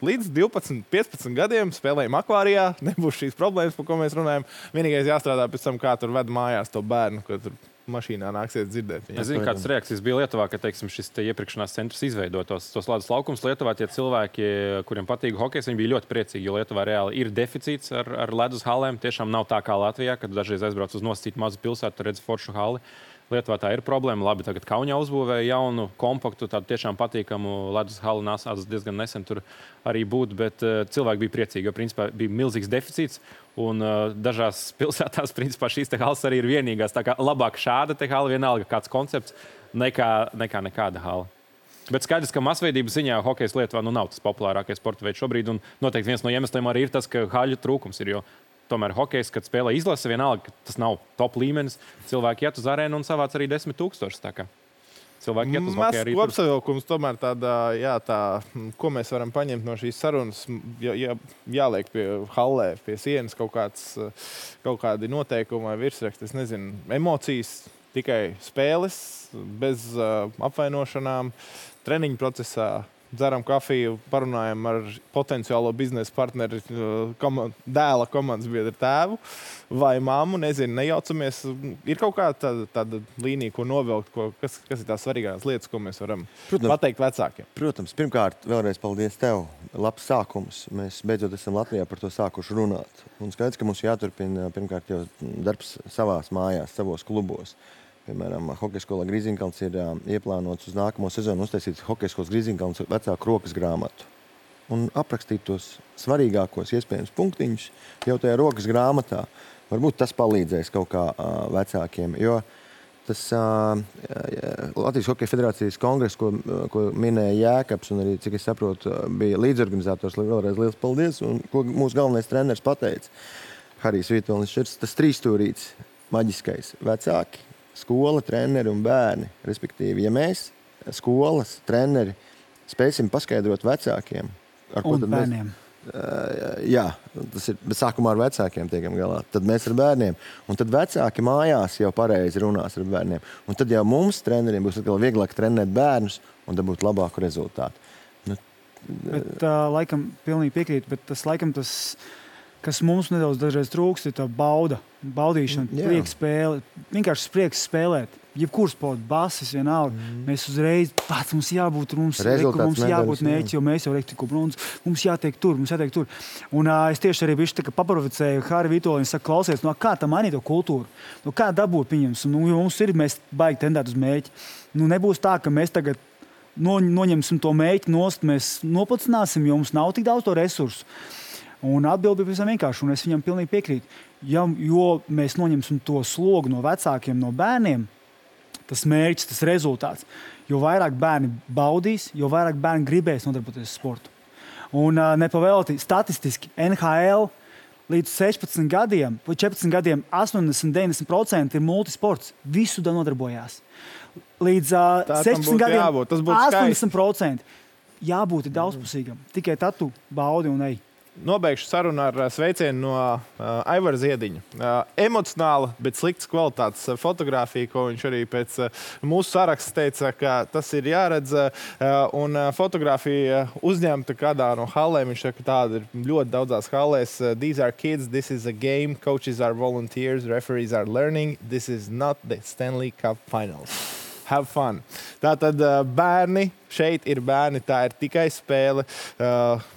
līdz divpadsmit, piecpadsmit gadiem spēlējam akvārijā, nebūs šīs problēmas, par ko mēs runājam. Vienīgais jāstrādā pēc tam, kā tur ved mājās to bērnu, ko tur mašīnā nāksies dzirdēt. Es zinu, kādas reakcijas bija Lietuvā, kad, teiksim, šis te iepirkšanās centrs izveidotos tos ledus laukums Lietuvā. Tie cilvēki, kuriem patīk hokejs, viņi bija ļoti priecīgi, jo Lietuvā reāli ir deficīts ar, ar ledus halēm. Tiešām nav tā kā Latvijā, kad dažreiz aizbrauc uz nosacītu mazu pilsētu, tur redz foršu hali. Lietuvā tā ir problēma. Labi, tagad Kaunijā uzbūvēja jaunu, kompaktu, tādu tiešām patīkamu ledus halu, nācās diezgan nesen tur arī būt, bet uh, cilvēki bija priecīgi, jo principā bija milzīgs deficīts, un uh, dažās pilsētās principā šīs te halas arī ir vienīgās. Tā kā labāk šāda te hala, vienalga kāds koncepts, nekā, nekā nekāda hala. Bet skaidrs, ka masveidības ziņā hokejs Lietuvā nu nav tas populārākais sporta veids šobrīd, un noteikti viens no iemesliem arī ir tas, ka haļu trūkums ir, jo tomēr hokejs, kad spēlē izlase, vienalga, ka tas nav top līmenis, cilvēki iet uz arēnu un savāc arī desmit tūkstošus. Tā kā cilvēki iet uz hokeju arī tur. Kopsavilkums tomēr tādā, jā, tā, ko mēs varam paņemt no šīs sarunas, jā, jā, jāliek pie hallē, pie sienas kaut kāds, kaut kādi noteikumi vai virsraksti, es nezinu, emocijas, tikai spēles, bez uh, apvainošanām, treniņu procesā. Dzeram kafiju, parunājam ar potenciālo biznesa partneri, komand, dēla komandas biedru tēvu vai mammu, nezinu, nejaucamies. Ir kaut kāda tāda, tāda līnija, ko novilkt, ko, kas, kas ir tās svarīgās lietas, ko mēs varam protams, pateikt vecākiem? Protams, pirmkārt, vēlreiz paldies tev. Labs sākums. Mēs beidzot esam Latvijā par to sākuši runāt. Un skaidrs, ka mums jāturpina pirmkārt jau darbs savās mājās, savos klubos. Piemēram, hokeja skolā Grīziņkalns ir uh, ieplānots uz nākamo sezonu uztaisīt hokeja skolas Grīziņkalns vecāku rokas grāmatu un aprakstīt tos svarīgākos iespējams punktiņus jau tajā rokas grāmatā. Varbūt tas palīdzēs kaut kā uh, vecākiem, jo tas uh, Latvijas Hokeja federācijas kongress, ko, ko minēja Jēkabs un arī, cik es saprotu, bija līdzorganizators, vēlreiz liels paldies, un ko mūsu galvenais treneris pateica, Harijs Vītolnis, tas trīsstūrīts maģiskais vecāki, skola, treneri un bērni. Respektīvi, ja mēs, skolas, treneri, spēsim paskaidrot vecākiem, ar ko un tad bērniem. Mēs, uh, jā, tas ir, bet sākumā ar vecākiem tiekam galā. Tad mēs ar bērniem. Un tad vecāki mājās jau pareizi runās ar bērniem. Un tad jau mums, treneriem, būs atkal vieglāk trenēt bērnus un dabūt labāku rezultātu. Nu, bet, uh, laikam, pilnīgi piekrīt, bet tas laikam tas, kas mums nedaudz dažreiz trūkst, ir tā bauda. Baudīšana, prieks spēle, vienkārši prieks spēlēt. Jebkur sports, basis, vienalga. Mm. Mēs uzreiz pats mums jābūt, mums, reku, mums jābūt mērķi, jo mēs jau rektiku brunus, mums jātiek tur, mums jātiek tur. Un uh, es tieši arī bišķi tā kā paproficēju Hāri Vitoļiņu, saka, klausies, no kā tā mainīt to kultūru? No kā dabūt pieņems? Nu, mums ir, mēs baigi tendēt uz mērķi. Nu, nebūs tā, ka mēs tagad no, noņemsim to mērķi nost, mēs nopacināsim, jo mums nav tik daudz to resursu. Un atbildi bija pavisam vienkārši, un es viņam pilnīgi piekrītu. Ja, jo mēs noņemsim to slogu no vecākiem, no bērniem, tas mērķis, tas rezultāts, jo vairāk bērni baudīs, jo vairāk bērni gribēs nodarboties ar sportu. Un uh, nepavēlti statistiski N H L līdz sešpadsmit gadiem, vai četrpadsmit gadiem astoņdesmit līdz deviņdesmit procenti ir multisports. Visu da nodarbojās. Līdz uh, sešpadsmit gadiem jābūt, astoņdesmit procenti jābūt daudzpusīgam. Tikai tad tu baudi un ej. nobeigšu sarunu ar sveicienu no uh, Aivara Ziediņa. Uh, emocionāla, bet sliktas kvalitātes fotografija, ko viņš arī pēc uh, mūsu saraksta teica, ka tas ir jāredz. Uh, un uh, fotografija uzņemta kādā no hallēm. Viņš saka, ka tāda ir ļoti daudzās hallēs. Uh, These are kids, this is a game, coaches are volunteers, referees are learning. This is not the Stanley Cup Finals. Have fun. Tātad uh, bērni, šeit ir bērni, tā ir tikai spēle. Uh,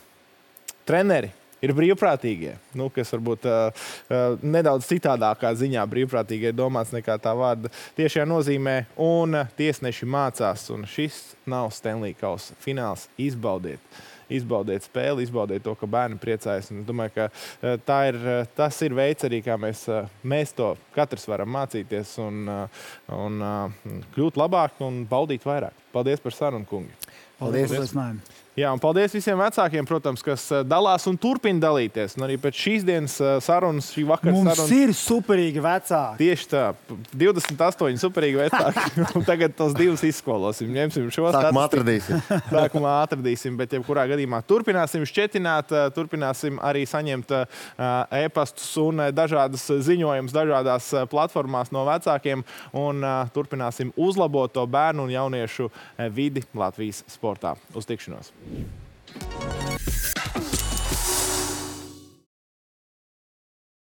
Treneri ir brīvprātīgie, nu, kas varbūt uh, uh, nedaudz citādākā ziņā brīvprātīgie domāts nekā tā vārda tiešajā nozīmē, un uh, tiesneši mācās, un šis nav Stanley Kausa fināls. Izbaudiet, izbaudiet spēli, izbaudiet to, ka bērni priecājas, un es domāju, ka uh, tā ir, uh, tas ir veids arī, kā mēs, uh, mēs to katrs varam mācīties un, uh, un uh, kļūt labāk un baudīt vairāk. Paldies par sarunu, kungi! Paldies! Paldies. Jā, un paldies visiem vecākiem, protams, kas dalās un turpina dalīties. Un arī pēc šīs dienas sarunas, šī vakara Mums sarunas... Mums ir superīgi vecāki. Tieši tā. divdesmit astoņi superīgi vecāki. Tagad tos divus izskolosim. Ņemsim šo statistiku. Sākumā atradīsim. Sākumā atradīsim, bet jebkurā gadījumā turpināsim šķetināt, turpināsim arī saņemt e-pastus un dažādas ziņojumus dažādās platformās no vecākiem un turpināsim uzlabot to bērnu un jauniešu vidi Latvijas sportā. Uz tikšanos!